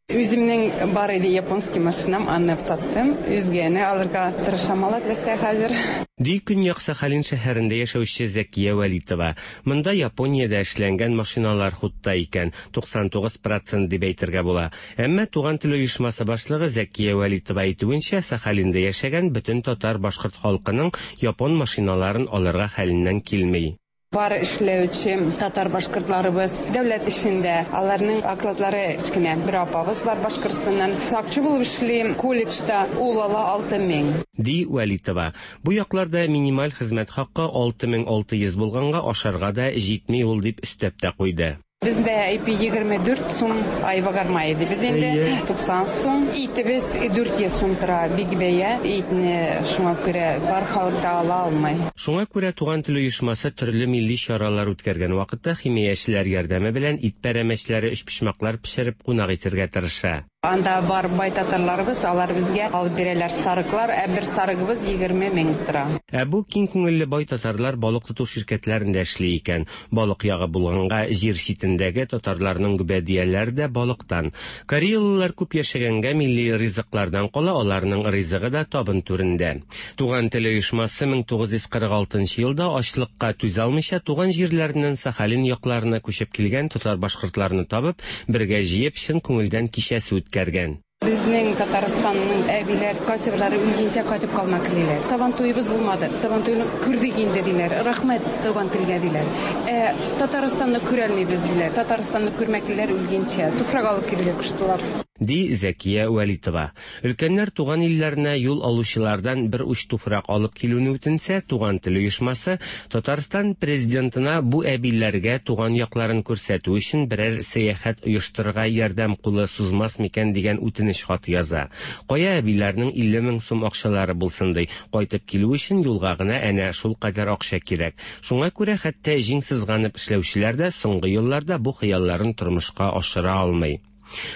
Үземнең бар иде японский машинам, аны саттым. Үзгәне алырга тырышам, ала теләсә хәзер. Ди Көньяк Сахалин шәһәрендә яшәүче Зәкия Вәлитова. Монда Япониядә эшләнгән машиналар хутта икән, туксан тугыз процент дип әйтергә була. Әмма Туган тел оешмасы башлыгы Зәкия Вәлитова әйтүенчә, Сахалинда яшәгән бөтен татар-башкорт халкының япон машиналарын алырга хәленнән килми. Бар эшләүче татар-башкортларыбыз дәүләт эшендә, аларның окладлары кечкенә. Бер апабыз бар Башкортстаннан, сакчы булып эшли колледжда, ул ала алты мең. Ди Вәлитова. Бу якларда минималь хезмәт хакы алты мең алты йөз булганга ашарга да җитми ул дип өстәп тә куйды. Бездә ипи егерме дүрт сум айва гарма иде. Без инде туксан сум. Итебез дүрт йөз сум тора, бик бәя. Итне шуңа күрә бар халык та ала алмый. Шуңа күрә Туган тел оешмасы төрле милли чаралар үткәргән вакытта химиячеләр ярдәме белән ит пәрәмәчләре, өчпочмаклар пешереп кунак итәргә тырыша. Анда бар бай татарларыбыз, алар безгә алып бирәләр сарыклар, ә бер сарыгыбыз егерме мең тора. Ә бу киң күңелле бай татарлар балык тоту ширкәтләрендә эшли икән. Балык ягы булганга җир читендәге татарларның гөбәдияләре дә балыктан. Кореялылар күп яшәгәнгә милли ризыклардан кала аларның ризыгы да табын түрендә. Туган тел оешмасы мең тугыз йөз кырык алтынчы елда ачлыкка түзә алмыйча туган җирләреннән Сахалин якларына күчеп килгән татар-башкортларны табып, бергә җыеп чын күңелдән кичәсе үткәргән. Безнең Татарстанның әбиләр, кайсыберләре үлгәнчә кайтып калма киләләр. Сабан туебыз булмады. Сабан туйны күрдек инде диләр. Рәхмәт туган телгә диләр. Ә Татарстанны күрә алмыйбыз диләр. Татарстанны күрмәклеләр үлгәнчә туфрак алып килергә куштылар. Ди Зәкия Вәлитова. Өлкәннәр туган илләренә юл алучылардан бер уч туфрак алып килүне үтенсә, Туган тел оешмасы Татарстан президентына бу әбиләргә туган якларын күрсәтү өчен берәр сәяхәт оештырырга ярдәм кулы сузмас микән дигән үтенеч хаты яза. Кая әбиләрнең илле мең сум акчалары булсын ди. Кайтып килү өчен юлга гына әнә шул кадәр акча кирәк. Шуңа күрә хәтта җиң сызганып эшләүчеләр дә соңгы елларда бу хыялларын тормышка ашыра алмый.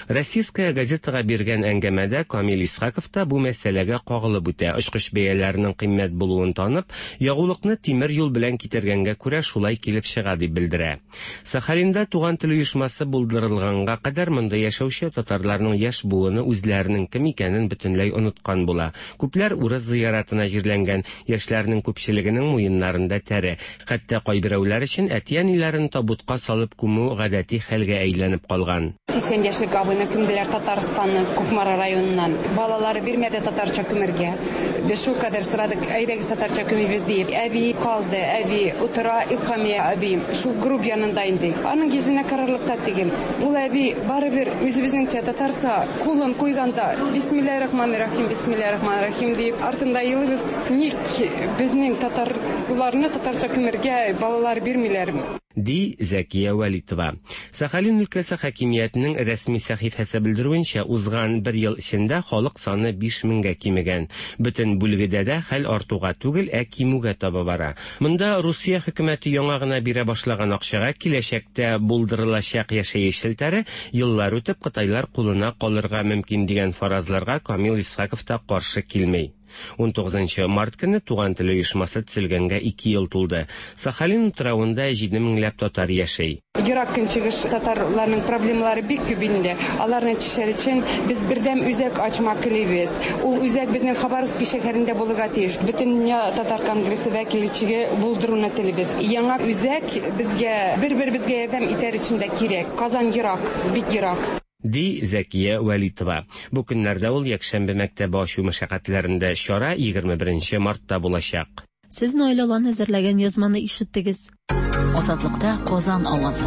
Российская газетага биргән әңгәмәдә Камил Исхаков та бу мәсьәләгә кагылып үтә. Очкыч бәяләренең кыйммәт булуын танып, ягулыкны тимер юл белән китергәнгә күрә шулай килеп чыга дип белдерә. Сахалинда Туган тел оешмасы булдырылганга кадәр монда яшәүче татарларның яшь буыны үзләренең кем икәнен бөтенләй оныткан була. Күпләр урыс зыяратына җирләнгән, яшьләрнең күпчелегенең муеннарында тәре. Хәтта кайберәүләр өчен әти-әниләрен табутка салып күмү гадәти хәлгә әйләнеп калган. Сиксән яшьлек абыйны күмделәр Татарстанның Кукмара районыннан. Балалары бирмәде татарча күмергә. Без шул кадәр сорадык, әйдәгез татарча күмибез диеп. Әби калды, әби утыра, Илһамия әби шул гроб янында инде. Аның йөзенә карарлык та түгел. Ул әби барыбер үзебезнеңчә татарча кулын куйганда Бисмиллаһир-рахманир-рахим, Бисмиллаһир-рахманир-рахим дип артында елыйбыз. Ник безнең татарларны татарча күмергә балалар бирмиләр? Ди Зәкия Вәлитова. Сахалин өлкәсе хакимиятенең рәсми сәхифәсе белдерүенчә, узган бер ел эчендә халык саны биш меңгә кимегән. Бөтен бүлгедә дә хәл артуга түгел, ә кимүгә таба бара. Монда Русия хөкүмәте яңа гына бирә башлаган акчага киләчәктә булдырылачак яшәеш челтәре еллар үтеп Кытайлар кулына калырга мөмкин дигән фаразларга Камил Исхаков та каршы килми. Унтугызынчы март көне Туган тел оешмасы төзелгәнгә ике ел тулды. Сахалин утравында җиде меңләп татар яшәй. Ерак көнчыгыш татарларның проблемалары бик күп инде. Аларны чишәр өчен без бердәм үзәк ачмак телибез. Ул үзәк безнең Хабаровский шәһәрендә булырга тиеш. Бөтен татар конгрессы вәкилчеге булдыруны телибез. Яңа үзәк безгә бер-беребезгә ярдәм итәр өчен дә кирәк. Казан ерак, бик ерак. Ди Зәкия Вәлитова. Бу көннәрдә ул якшәмбе мәктәбе ачу мәшәкатьләрендә чара егерме беренче мартта булачак. Сез Наилә Лан әзерләгән язманы ишеттегез. Азатлыкта Казан авазы.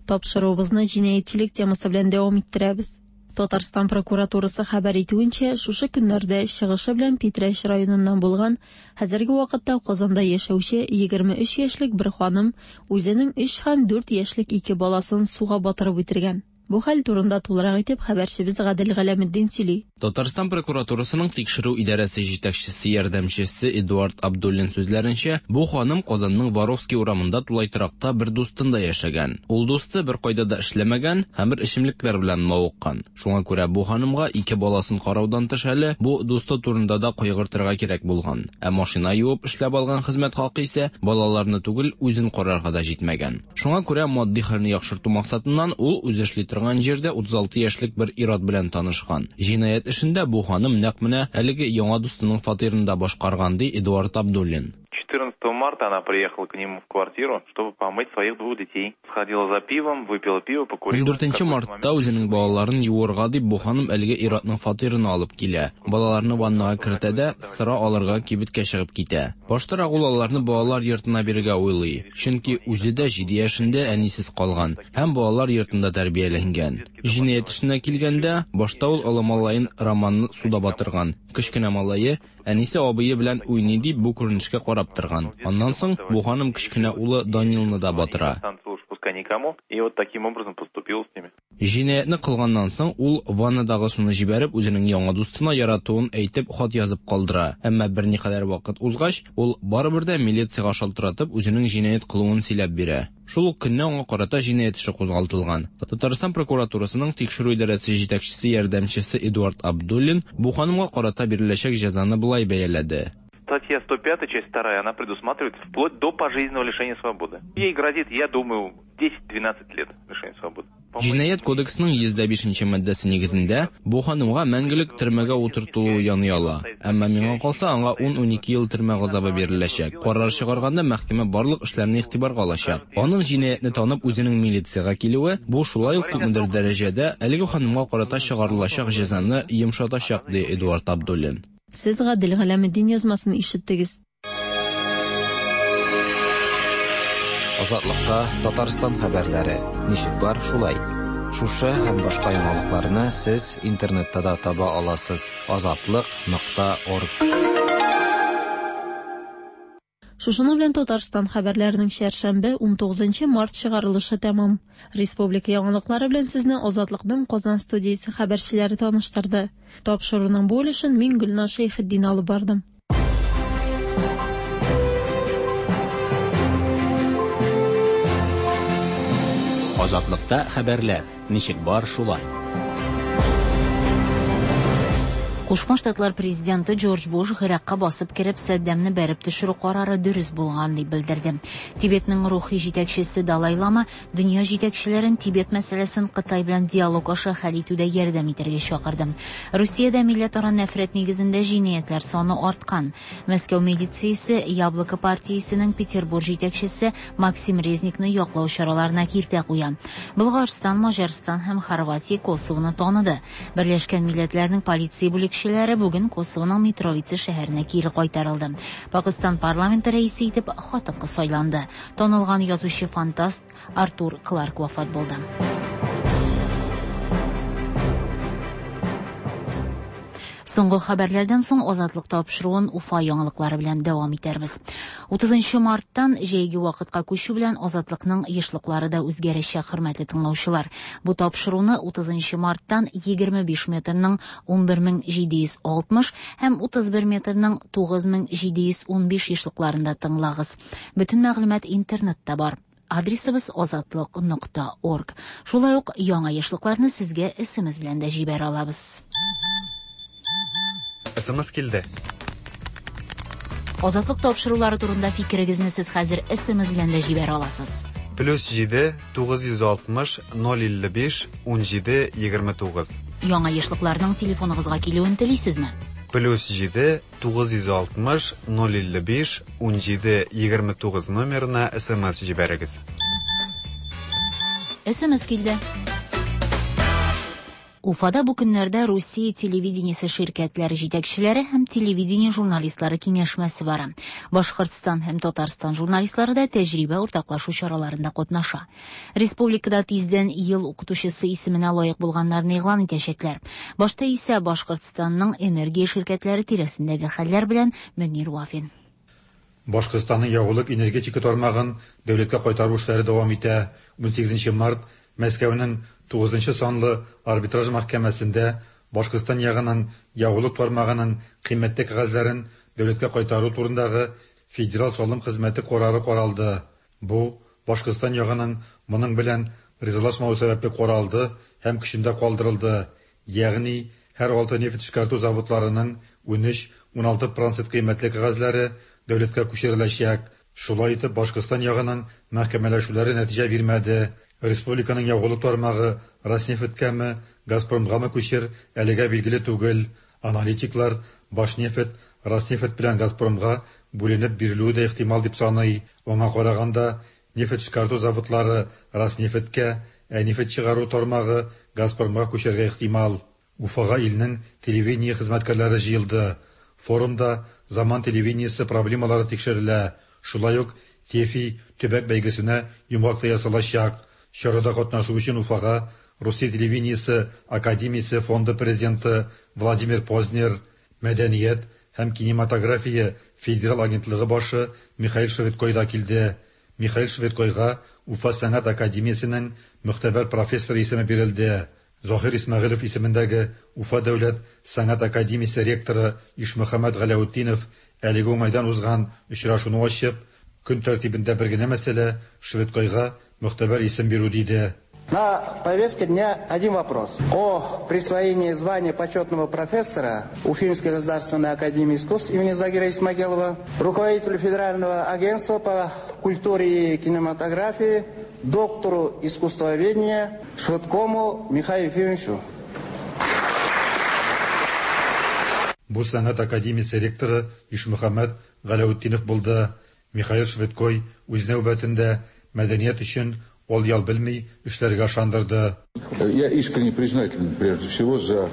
Тапшыруыбызны җинаятьчелек темасы белән дәвам иттерәбез. Татарстан прокуратурасы хәбәр итүенчә, шушы көннәрдә чыгышы белән Питрәч районыннан булган, хәзерге вакытта Казанда яшәүче егерме өч яшьлек бер ханым үзенең өч һәм дүрт яшьлек ике баласын суга батырып үтергән. Бу хәл турында тулырак итеп хәбәрчебез Гадел Галәметдин сөйли. Татарстан прокуратурасының тикшерү идарәсе җитәкчесе ярдәмчесе Эдуард Абдуллин сүзләренчә, бу ханым Казанның Воровский урамында тулай торакта бер дустында яшәгән. Ул дусты бер кайда да эшләмәгән һәм бер эчемлекләр белән мавыккан. Шуңа күрә бу ханымга ике баласын караудан тыш әле бу дусты турында да кайгыртырга кирәк булган. Ә машина юып эшләп алган хезмәт хакы исә балаларны түгел, үзен карарга да җитмәгән. Шуңа күрә матди хәлне яхшырту максатыннан ул үзе эшли торган җирдә утыз алты яшьлек бер ир-ат белән танышкан. Җинаять эшендә бу ханым нәкъ менә әлеге яңа дустының фатирында башкарган, ди Эдуард Абдуллин. четырнадцатого марта она приехала к нему в квартиру, чтобы помыть своих двух детей. Сходила за пивом, выпила пиво, покурила. Ундүртенче мартта үзенең балаларын юырга дип бу ханым әлеге ир-атның фатирына алып килә. Балаларны ваннага кертә дә, сыра алырга кибеткә чыгып китә. Баштарак ул аларны балалар йортына бирергә уйлый, чөнки үзе дә җиде яшендә әнисез калган һәм балалар йортында тәрбияләнгән. Җинаять эшенә килгәндә, башта ул олы малаен Романны суда батырган. Кечкенә малае әнисе абые белән уйный дип бу күренешкә карап торган. Аннан соң бу ханым кечкенә улы Данилны да батыра. Никому, и вот таким образом поступил с ними. Җинаятьне кылганнан соң ул ваннадагы суны җибәреп үзенең яңа дустына яратуын әйтеп хат язып калдыра. Әмма берникадәр вакыт узгач, ул барыбер дә милициягә шалтыратып үзенең җинаять кылуын сөйләп бирә. Шул ук көнне аңа карата җинаять эше кузгалтылган. Татарстан прокуратурасының тикшерү идарәсе җитәкчесе ярдәмчесе Эдуард Абдуллин бу ханымга карата биреләчәк җәзаны болай бәяләде. Статья сто пятая, часть вторая, она предусматривает вплоть до пожизненного лишения свободы. Ей грозит, я думаю, десять-двенадцать лет лишения свободы. Җинаять кодексының йөз дә бишенче маддәсе нигезендә бу ханымга мәңгелек төрмәгә утыртылуы яный ала. Әмма миңа калса, аңа ун-унике ел төрмә газабы биреләчәк. Карар чыгарганда мәхкәмә барлык эшләрне игътибарга алачак. Аның җинаятьне танып үзенең милициягә килүе бу шулай ук күпмедер дәрәҗәдә әлеге ханымга карата чыгарылачак җәзаны йомшатачак, ди Эдуард Абдуллин. Сез Гадел Галәметдин язмасын ишеттегез. Азатлыкта Татарстан хәбәрләре ничек бар шулай. Шушы һәм башка яңалыкларны сез интернетта да таба аласыз. Азатлык нокта орг. Шушының белән Татарстан хәбәрләренең чәршәмбе унтугызынчы март чыгарылышы тәмам. Республика яңалыклары белән сезне Азатлыкның Казан студиясе хәбәрчеләре таныштырды. Тапшыруның бу өлешен мин Гөлназ Шәйхетдин алып бардым. Азатлыкта хәбәрләр ничек бар шулай. Кушма Штатлар президенты Джордж Буш Гыйракка басып кереп Саддамны бәреп төшерү карары дөрес булган дип белдерде. Тибетнең рухи җитәкчесе Далай Лама дөнья җитәкчеләрен Тибет мәсьәләсен Кытай белән диалог аша хәл итүдә ярдәм итәргә чакырды. Русиядә милләтара нәфрәт нигезендә җинаятьләр саны арткан. Мәскәү милициясе Яблоко партиясенең Петербург җитәкчесе Максим Резникны яклау чараларына киртә куя. Болгарстан, Маҗарстан һәм Хорватия Косовоны таныды. Берләшкән Милләтләрнең полиция бүлекчәләре бүген Косовоның Митровица шәһәренә кире кайтарылды. Пакистан парламенты рәисе итеп хатын-кыз сайланды. Танылган язучы-фантаст Артур Кларк вафат булды. Соңгы хәбәрләрдән соң Азатлык тапшыруын Уфа яңалыклары белән дәвам итәрбез. утызынчы марттан җәйге вакытка күчү белән Азатлыкның ешлыклары да үзгәрәчәк, хөрмәтле тыңлаучылар. Бу тапшыруны утызынчы марттан егерме биш метрның унбер мең җиде йөз алтмыш һәм утыз бер метрның тугыз мең җиде йөз унбиш ешлыкларында тыңлагыз. Бөтен мәгълүмат интернетта бар. Адресыбыз азатлык нокта орг. Шулай ук яңа ешлыкларны сезгә эс эм эс белән дә җибәрә алабыз. эс эм эс килде. Азатлык тапшырулары турында фикерегезне сез хәзер эс эм эс белән дә җибәрә аласыз. Плюс җиде, тугыз йөз алтмыш, ноль илле биш, ун җиде, егерме тугыз. Яңа ешлыкларның телефоныгызга килүен телисезме? Плюс җиде, тугыз йөз алтмыш, ноль илле биш, ун җиде, егерме тугыз номерына эс эм эс җибәрегез. эс эм эс килде. Уфада бу көннәрдә Русия телевидениесе ширкәтләре җитәкчеләре һәм телевидение журналистлары киңәшмәсе бара. Башкортстан һәм Татарстан журналистлары да тәҗрибә уртаклашу чараларында катнаша. Республикада тиздән ел укытучысы исеменә лаек булганнарны игълан итәчәкләр. Башта исә Башкортстанның энергия ширкәтләре тирәсендәге хәлләр белән Мөнир Вафин. Башкортстанның ягулык энергетика тармагын дәүләткә кайтару эшләре дәвам итә. унсигезенче март Мәскәүнең тугызынчы санлы арбитраж мәхкәмәсендә Башкортстан ягының ягулык тармагының кыйммәтле кәгазьләрен дәүләткә кайтару турындагы Федераль салым хезмәте карары каралды. Бу Башкортстан ягының моның белән ризалашмавы сәбәпле каралды һәм көчендә калдырылды. Ягъни һәр алты нефть эшкәртү заводларының ун өч-ун алты процент кыйммәтле кәгазьләре дәүләткә күчереләчәк. Шулай итеп, Башкортстан ягының мәхкәмәләшүләре нәтиҗә бирмәде. Республиканың ягулык тармагы Роснефтькәме, Газпромгамы күчер, әлегә билгеле түгел. Аналитиклар Башнефть, Роснефть белән Газпромга бүленеп бирелүе дә ихтимал дип саный. Аңа караганда, нефть эшкәртү заводлары Роснефтькә, ә нефть чыгару тармагы Газпромга күчәргә ихтимал. Уфага илнең телевидение хезмәткәрләре җыелды. Форумда заман телевидениесе проблемалары тикшерелә. Шулай ук ТЕФИ төбәк бәйгесенә йомгак та ясалачак. Чарада катнашу өчен Уфага Русия телевидениесе академиясе фонды президенты Владимир Познер, Мәдәният һәм кинематография федераль агентлыгы башы Михаил Швыдкой да килде. Михаил Швыдкойга Уфа сәнгать академиясенең мөхтәбәр профессоры исеме бирелде. Заһир Исмәгыйлев исемендәге Уфа дәүләт сәнгать академиясе ректоры Ишмөхәммәт Галәүтдинов әлеге уңайдан узган очрашуны ачып, көн тәртибендә бер генә мәсьәлә Швыдкойга мөхтәбәр исем бирү диде. На повестке дня один вопрос. О присвоении звания почетного профессора Уфимской государственной академии искусств имени Загира Исмагилова руководителю Федерального агентства по культуре и кинематографии, доктору искусствоведения Швыдкому Михаилу Ефимовичу. Бу сәнгать академиясе ректоры Ишмөхәммәт Галәүтдинов булды. Михаил Швыдкой үз нәүбәтендә мәдәният өчен ул ял белми эшләргә ышандырды. Я искренне признателен прежде всего за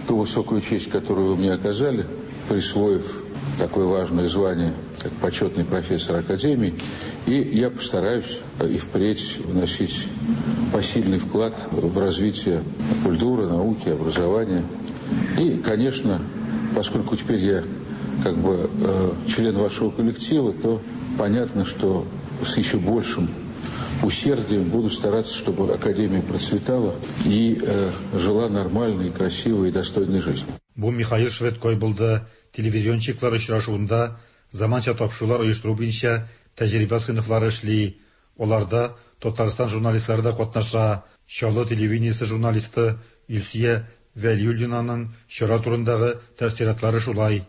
ту высокую честь, которую вы мне оказали, присвоив такое важное звание, как почетный профессор Академии. И я постараюсь и впредь вносить посильный вклад в развитие культуры, науки, образования. И, конечно, поскольку теперь я как бы э, член вашего коллектива, то понятно, что с еще большим усердием буду стараться, чтобы Академия процветала и э, жила нормальной, красивой и достойной жизнью. Бу Михаил Швыдкой булды. Телевизионщиклар очрашуында заманча тапшырулар оештыру буенча тәҗрибә сыйныфлары эшли. Аларда Татарстан журналистлары да катнаша. Чаллы телевидениесе журналисты Илсөя Вәлиуллинаның чара турындагы тәэссоратлары шулай.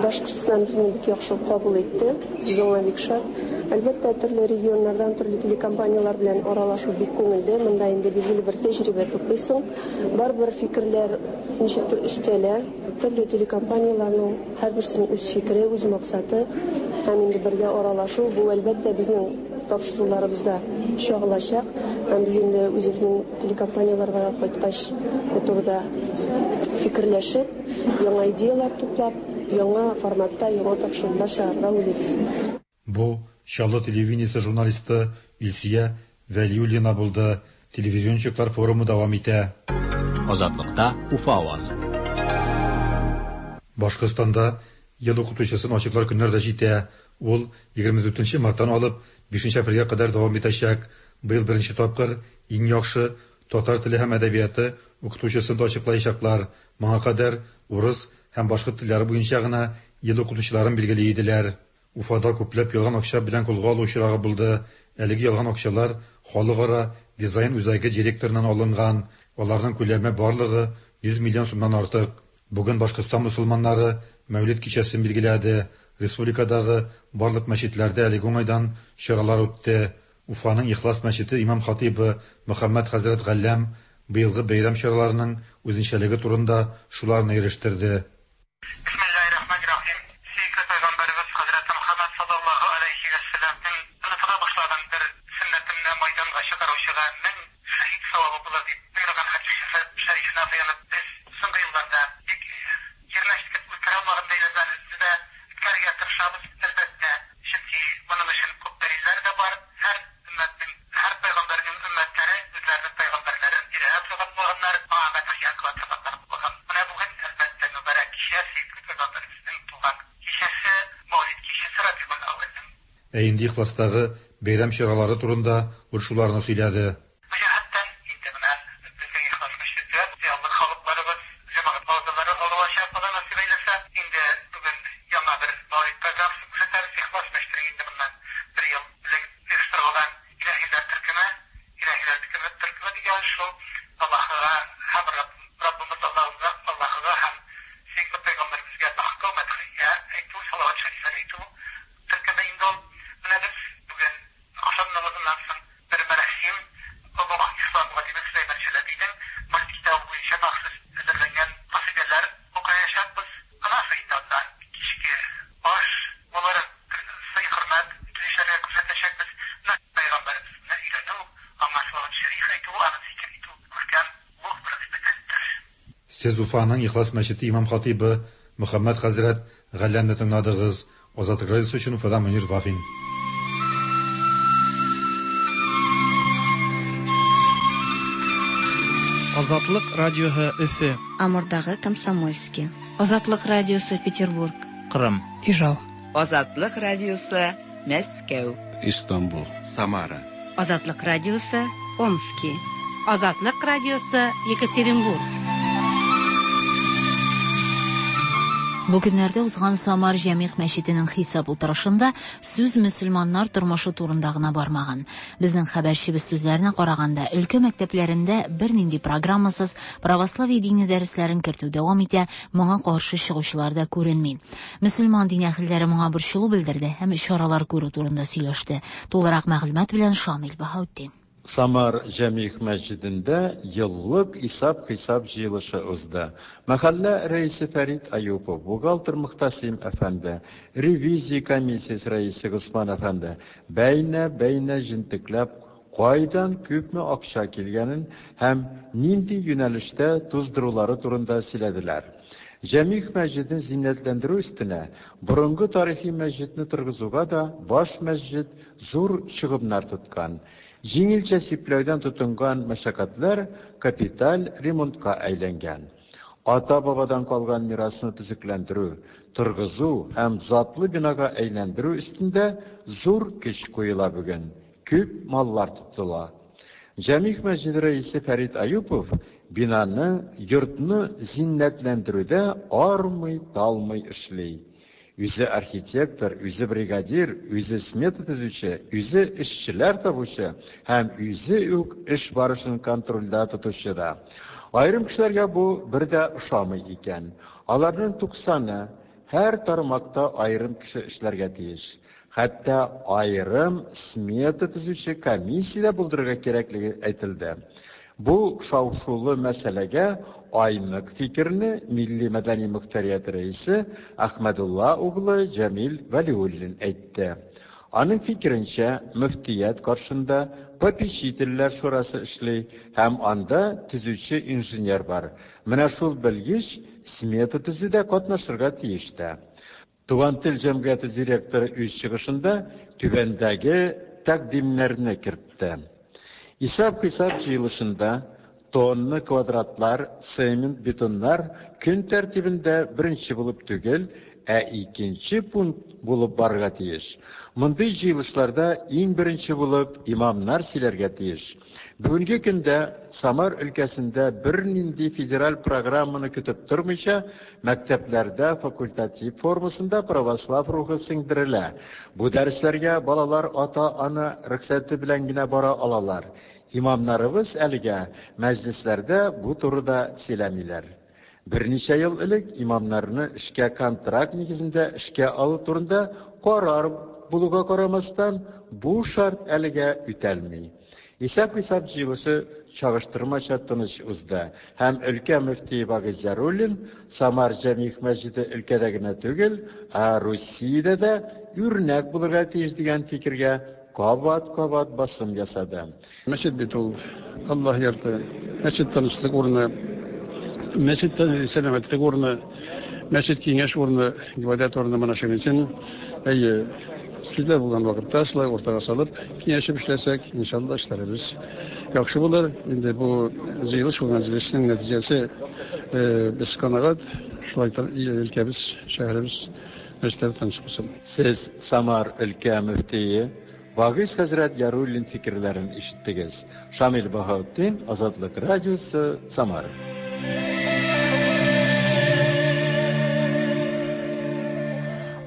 Башкортстан безне бик яхшы кабул итте. Без моңа бик шат. Әлбәттә, төрле регионнардан төрле телекомпанияләр белән аралашу бик күңелле. Монда инде билгеле бер тәҗрибә туплыйсың. Барыбер фикерләр ничектер өстәлә. Төрле телекомпанияләрнең һәрберсенең үз фикере, үз максаты һәм инде бергә аралашу бу әлбәттә безнең тапшыруларыбызда чагылачак. Һәм без инде үзебезнең телекомпанияләргә кайткач бу турыда фикерләшеп, яңа идеялар туплап, яңа форматта яңа тапшырулар чыгарырга уйлыйбыз. Бу Чаллы телевидениесе журналисты Илсөя Вәлиуллина булды. Телевизионщиклар форумы дәвам итә. Азатлыкта Уфа авазы. Башкортстанда ел укытучысын ачыклар көннәр дә җитә. Ул егерме дүртенче марттан алып бишенче апрельгә кадәр дәвам итәчәк. Быел беренче тапкыр иң яхшы татар теле һәм әдәбияты укытучысын да ачыклаячаклар. Моңа кадәр урыс һәм башкорт телләре буенча гына ел укытучыларын билгели иделәр. Уфада күпләп ялган акча белән кулга алу очрагы булды. Әлеге ялган акчалар Халыкара дизайн үзәге директорыннан алынган. Аларның күләме барлыгы йөз миллион сумнан артык. Бүген Башкортстан мусулманнары Мәүлид кичәсен билгеләде. Республикадагы барлык мәчетләрдә әлеге уңайдан чаралар үтте. Уфаның Ихлас мәчете имам хатибы Мөхәммәд хәзрәт Галләм быелгы бәйрәм чараларының үзенчәлеге турында шуларны ирештерде. Ә инде Ихластагы бәйрәм чаралары турында ул шуларны сөйләде. Бу җәһәттән инде менә безнең Ихлас мәчете, зыялы халыкларыбыз, җәмәгать әгъзалары алачак, Алла насыйп әйләсә. Инде бүген яңа бер мәүлид программасын күрсәтәбез. Ихлас мәчетенең инде моннан бер ел элек оештырылган илаһиләр төркеме, илаһиләр төркеме, төркеме дигән шул Аллаһыга һәм Раббымыз Аллаһыга, Аллаһыга һәм сөекле пәйгамбәребезгә мактау, мәдхия әйтү, салават шәрифләр әйтү төркеме инде ул. Менә без бүген ахшам намазыннан соң бер мәрәсим Олуг Ислам галиме Сөләйман Чәләбинең Мәүлид китабы буенча махсус әзерләнгән касыйдәләр укыячакбыз. Аннан соң инде анда кичке аш булыр, сый-хөрмәт төзүчеләргә күрсәтәчәкбез. Менә пәйгамбәребезне өйрәнү, аңа салават шәриф әйтү, аны зикер итү күркәм олуг бер гыйбадәттер. Сез Уфаның Ихлас мәчете имам хатыйбы Мөхәммәд хәзрәт Галләмне тыңладыгыз. Азатлык радиосы өчен Уфадан Мөнир Вафин. Азатлык радиоһы Өфе. Амурдагы Комсомольский. Азатлык радиосы Петербург. Кырым. Ижау. Азатлык радиосы Мәскәү. Истанбул. Самара. Азатлык радиосы Омски. Азатлык радиосы Екатеринбург. Бу көннәрдә узган Самар Җәмигъ мәчетенең хисап утырышында сүз мөселманнар тормышы турында гына бармаган. Безнең хәбәрчебез сүзләренә караганда, өлкә мәктәпләрендә бернинди программасыз православие дине дәресләрен кертү дәвам итә, моңа каршы чыгучылар да күренми. Мөселман дин әһелләре моңа борчылу белдерде һәм чаралар күрү турында сөйләште. Тулырак мәгълүмат белән Шамил Баһаутдин. Самар Җәмигъ мәчетендә еллык исап-хисап җыелышы узды. Мәхәллә рәисе Фәрит Аюпов, бухгалтер Мөхтәсим әфәнде, ревизия комиссиясе рәисе Госман әфәнде бәйнә-бәйнә җентекләп кайдан күпме акча килгәнен һәм нинди юнәлештә туздырулары турында сөйләделәр. Җәмигъ мәчетен зиннәтләндерү өстенә борынгы тарихи мәчетне торгызуга да баш мәчет зур чыгымнар тоткан. Җиңелчә сипләүдән тотынган мәшәкатьләр капиталь ремонтка әйләнгән. Ата-бабадан калган мирасны төзекләндерү, торгызу һәм затлы бинага әйләндерү өстендә зур көч куела бүген. Күп маллар тотыла. Җәмигъ мәчете рәисе Фәрит Аюпов бинаны, йортны зиннәтләндерүдә армый-талмый эшли. Үзе архитектор, үзе бригадир, үзе смета төзүче, үзе эшчеләр табучы һәм үзе үк эш барышын контрольдә тотучы да. Аерым кешеләргә бу бер дә ошамый икән. Аларның туксаны һәр тармакта аерым кеше эшләргә тиеш. Хәтта аерым смета төзүче комиссия дә булдырырга кирәклеге әйтелде. Бу шау-шулы мәсьәләгә айнык фикерне Милли мәдәни мөхтәрият рәисе Әхмәдулла углы Җәмил Вәлиуллин әйтте. Аның фикеренчә, мөфтият каршында попечительләр шурасы эшли һәм анда төзүче инженер бар. Менә шул белгеч смета төзүдә катнашырга тиеш тә. Туган тел җәмгыяте директоры үз чыгышында түбәндәге тәкъдимнәрне кертте. Исап-хисап җыелышында тонна квадратлар, цемент, бетоннар көн тәртибендә беренче булып түгел, ә икенче пункт булып барырга тиеш. Мондый җыелышларда иң беренче булып имамнар сөйләргә тиеш. Бүгенге көндә Самар өлкәсендә бернинди федераль программаны көтеп тормыйча, мәктәпләрдә факультатив формасында православ рухы сеңдерелә. Бу дәресләргә балалар ата-ана рөхсәте белән генә бара алалар. Имамнарыбыз әлегә мәҗлесләрдә бу турыда сөйләмиләр. Берничә ел элек имамнарны эшкә контракт нигезендә эшкә алу турында карар булуга карамастан, бу шарт әлегә үтәлми. Исәп-хисап җыелышы чагыштырмача тыныч узды һәм өлкә мөфтие Вагиз Яруллин Самар Җәмигъ мәчете өлкәдә генә түгел, ә Русиядә дә үрнәк булырга тиеш дигән фикергә кабат-кабат басым ясады. Мәчет бит ул Аллаһ йорты, мәчет тынычлык урыны, мәчет сәламәтлек урыны, мәчет киңәш урыны, гыйбадәт урыны. Менә шуның өчен әйе, сүзләр булган вакытта шулай уртага салып киңәшеп эшләсәк, иншалла эшләребез яхшы булыр. Инде бу җыелыш булган җыелышның нәтиҗәсе без канәгать. Шулай өлкәбез, шәһәребез Мәчетләр тыныч булсын. Сез Самар өлкә мөфтие Вагиз хәзрәт Яруллин фикерләрен ишеттегез. Шамил Баһаутдин, Азатлык радиосы, Самара.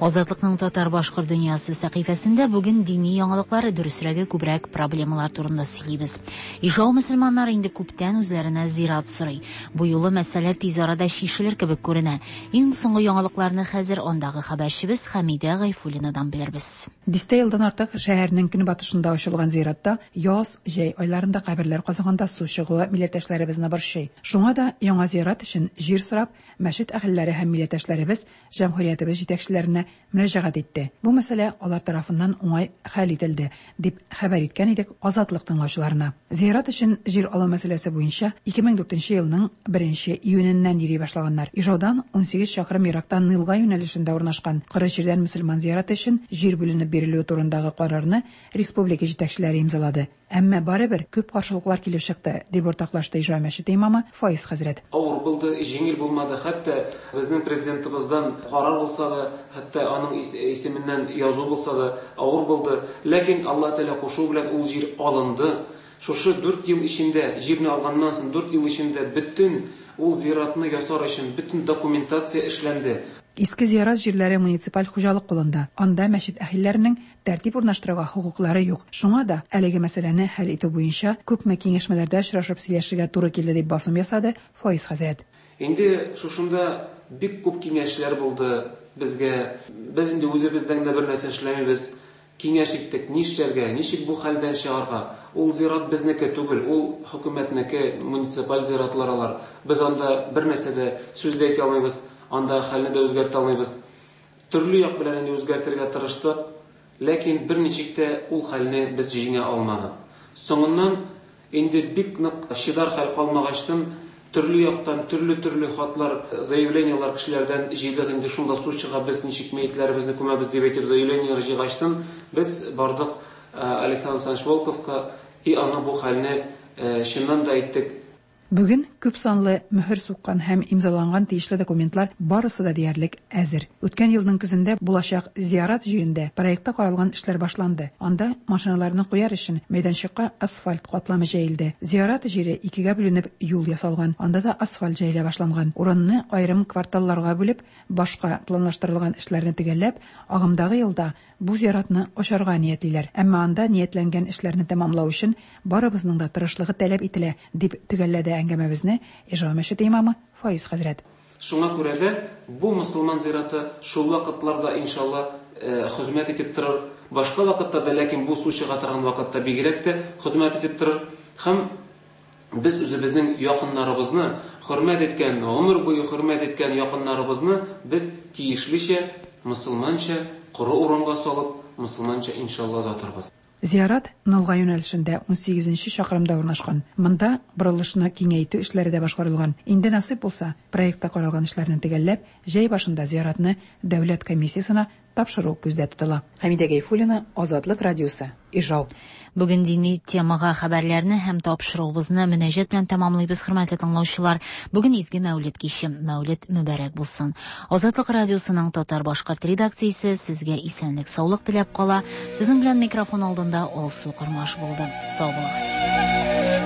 Азатлыкның татар-башкорт дөньясы сәхифәсендә бүген дини яңалыклар, дөресрәге күбрәк проблемалар турында сөйлибез. Ижау мөселманнары инде күптән үзләренә зират сорый. Бу юлы мәсьәлә тиз арада чишелер кебек күренә. Иң соңгы яңалыкларны хәзер андагы хәбәрчебез Хәмидә Гайфуллинадан белербез. Дистә елдан артык шәһәрнең көнбатышында ачылган зиратта яз, җәй айларында каберләр казыганда су чыгуы милләттәшләребезне борчый. Шуңа да яңа зират өчен җир сорап, мәчет әһелләре һәм милләттәшләребез җәмһүриятебез җитәкчеләренә мөрәҗәгать итте. Бу мәсьәлә алар тарафыннан уңай хәл ителде, дип хәбәр иткән идек Азатлык тыңлаучыларына. Зират өчен җир алу мәсьәләсе буенча ике мең дүртенче елның беренче июненнән йөри башлаганнар. Ижаудан унсигез чакрым еракта Нылга юнәлешендә урнашкан коры җирдән мөселман зираты өчен җир бүленеп бирелүе турындагы карарны республика җитәкчеләре имзалады. Әмма барыбер күп каршылыклар килеп чыкты, дип уртаклашты Ижау мәчете имамы Фаиз хәзрәт. Авыр булды, җиңел булмады. Хәтта безнең президентыбыздан карар булса да, хәтта аның исеменнән язу булса да, авыр булды. Ләкин Аллаһ Тәгалә кушуы белән ул җир алынды. Шушы дүрт ел эчендә, җирне алганнан соң дүрт ел эчендә бөтен ул зиратны ясар өчен бөтен документация эшләнде. Иске зират җирләре муниципаль хуҗалык кулында. Анда мәчет әһелләренең тәртип урнаштыруга хокуклары юк. Шуңа да әлеге мәсьәләне хәл итү буенча күпме киңәшмәләрдә очрашып сөйләшергә туры килде, дип басым ясады Фаиз хәзрәт. Инде шушында бик күп киңәшләр булды безгә. Без инде үзебездән дә бер нәрсә эшләмибез. Киңәш иттек, нишләргә, ничек бу хәлдән чыгарга. Ул зират безнеке түгел, ул хөкүмәтнеке, муниципаль зиратлар алар. Без анда бер нәрсә дә сүз дә әйтә алмыйбыз, анда хәлне дә үзгәртә алмыйбыз. Төрле як белән инде үзгәртергә тырыштык, ләкин берничек тә ул хәлне без җиңә алмадык. Соңыннан инде бик нык чыдар хәл калмагачтын, төрле яктан төрле-төрле хатлар, заявлениелар кешеләрдән җыйдык. Инде шунда су чыга, без ничек мәетләребезне күмәбез дип әйтеп заявлениелар җыйгачтын, без бардык Александр Александрович Волковка и аңа бу хәлне чыннан да әйттек. Бүген күп санлы мөһер суккан һәм имзаланган тиешле документлар барысы да диярлек әзер. Үткән елның көзендә булачак зиярат җирендә проектта каралган эшләр башланды. Анда машиналарны куяр өчен мәйданчыкка асфальт катламы җәелде. Зиярат җире икегә бүленеп юл ясалган. Анда да асфальт җәелә башланган. Урынны аерым кварталларга бүлеп, башка планлаштырылган эшләрне төгәлләп, агымдагы елда бу зиратны ачарга ниятлиләр. Әмма анда ниятләнгән эшләрне тәмамлау өчен барыбызның да тырышлыгы таләп ителә, дип төгәлләде әңгәмәбезне Ижау мәчете имамы Фаиз хәзрәт. Шуңа күрә дә бу мөселман зираты шул вакытларда иншалла хезмәт итеп торыр. Башка вакытта да, ләкин бу су чыга торган вакытта бигрәк тә хезмәт итеп торыр. Һәм без үзебезнең якыннарыбызны хөрмәт иткән, гомер буе хөрмәт иткән якыннарыбызны без тиешлечә, мөселманча коры урынга салып, мөселманча иншалла озатырбыз. Зиярат Нылга юнәлешендә унсигезенче чакрымда урнашкан. Монда борылышны киңәйтү эшләре дә башкарылган. Инде насыйп булса, проектта каралган эшләрне төгәлләп, җәй башында зияратны дәүләт комиссиясенә тапшыру күздә тотыла. Хәмидә Гайфуллина, Азатлык радиосы, Ижау. Бүген дини темага хәбәрләрне һәм тапшыруыбызны мөнәҗәт белән тәмамлыйбыз, хөрмәтле тыңлаучылар. Бүген изге Мәүлид киче, Мәүлид мөбарәк булсын. Азатлык радиосының татар-башкорт редакциясе сезгә исәнлек, саулык теләп кала. Сезнең белән микрофон алдында Алсу Кормаш булды. Сау булыгыз.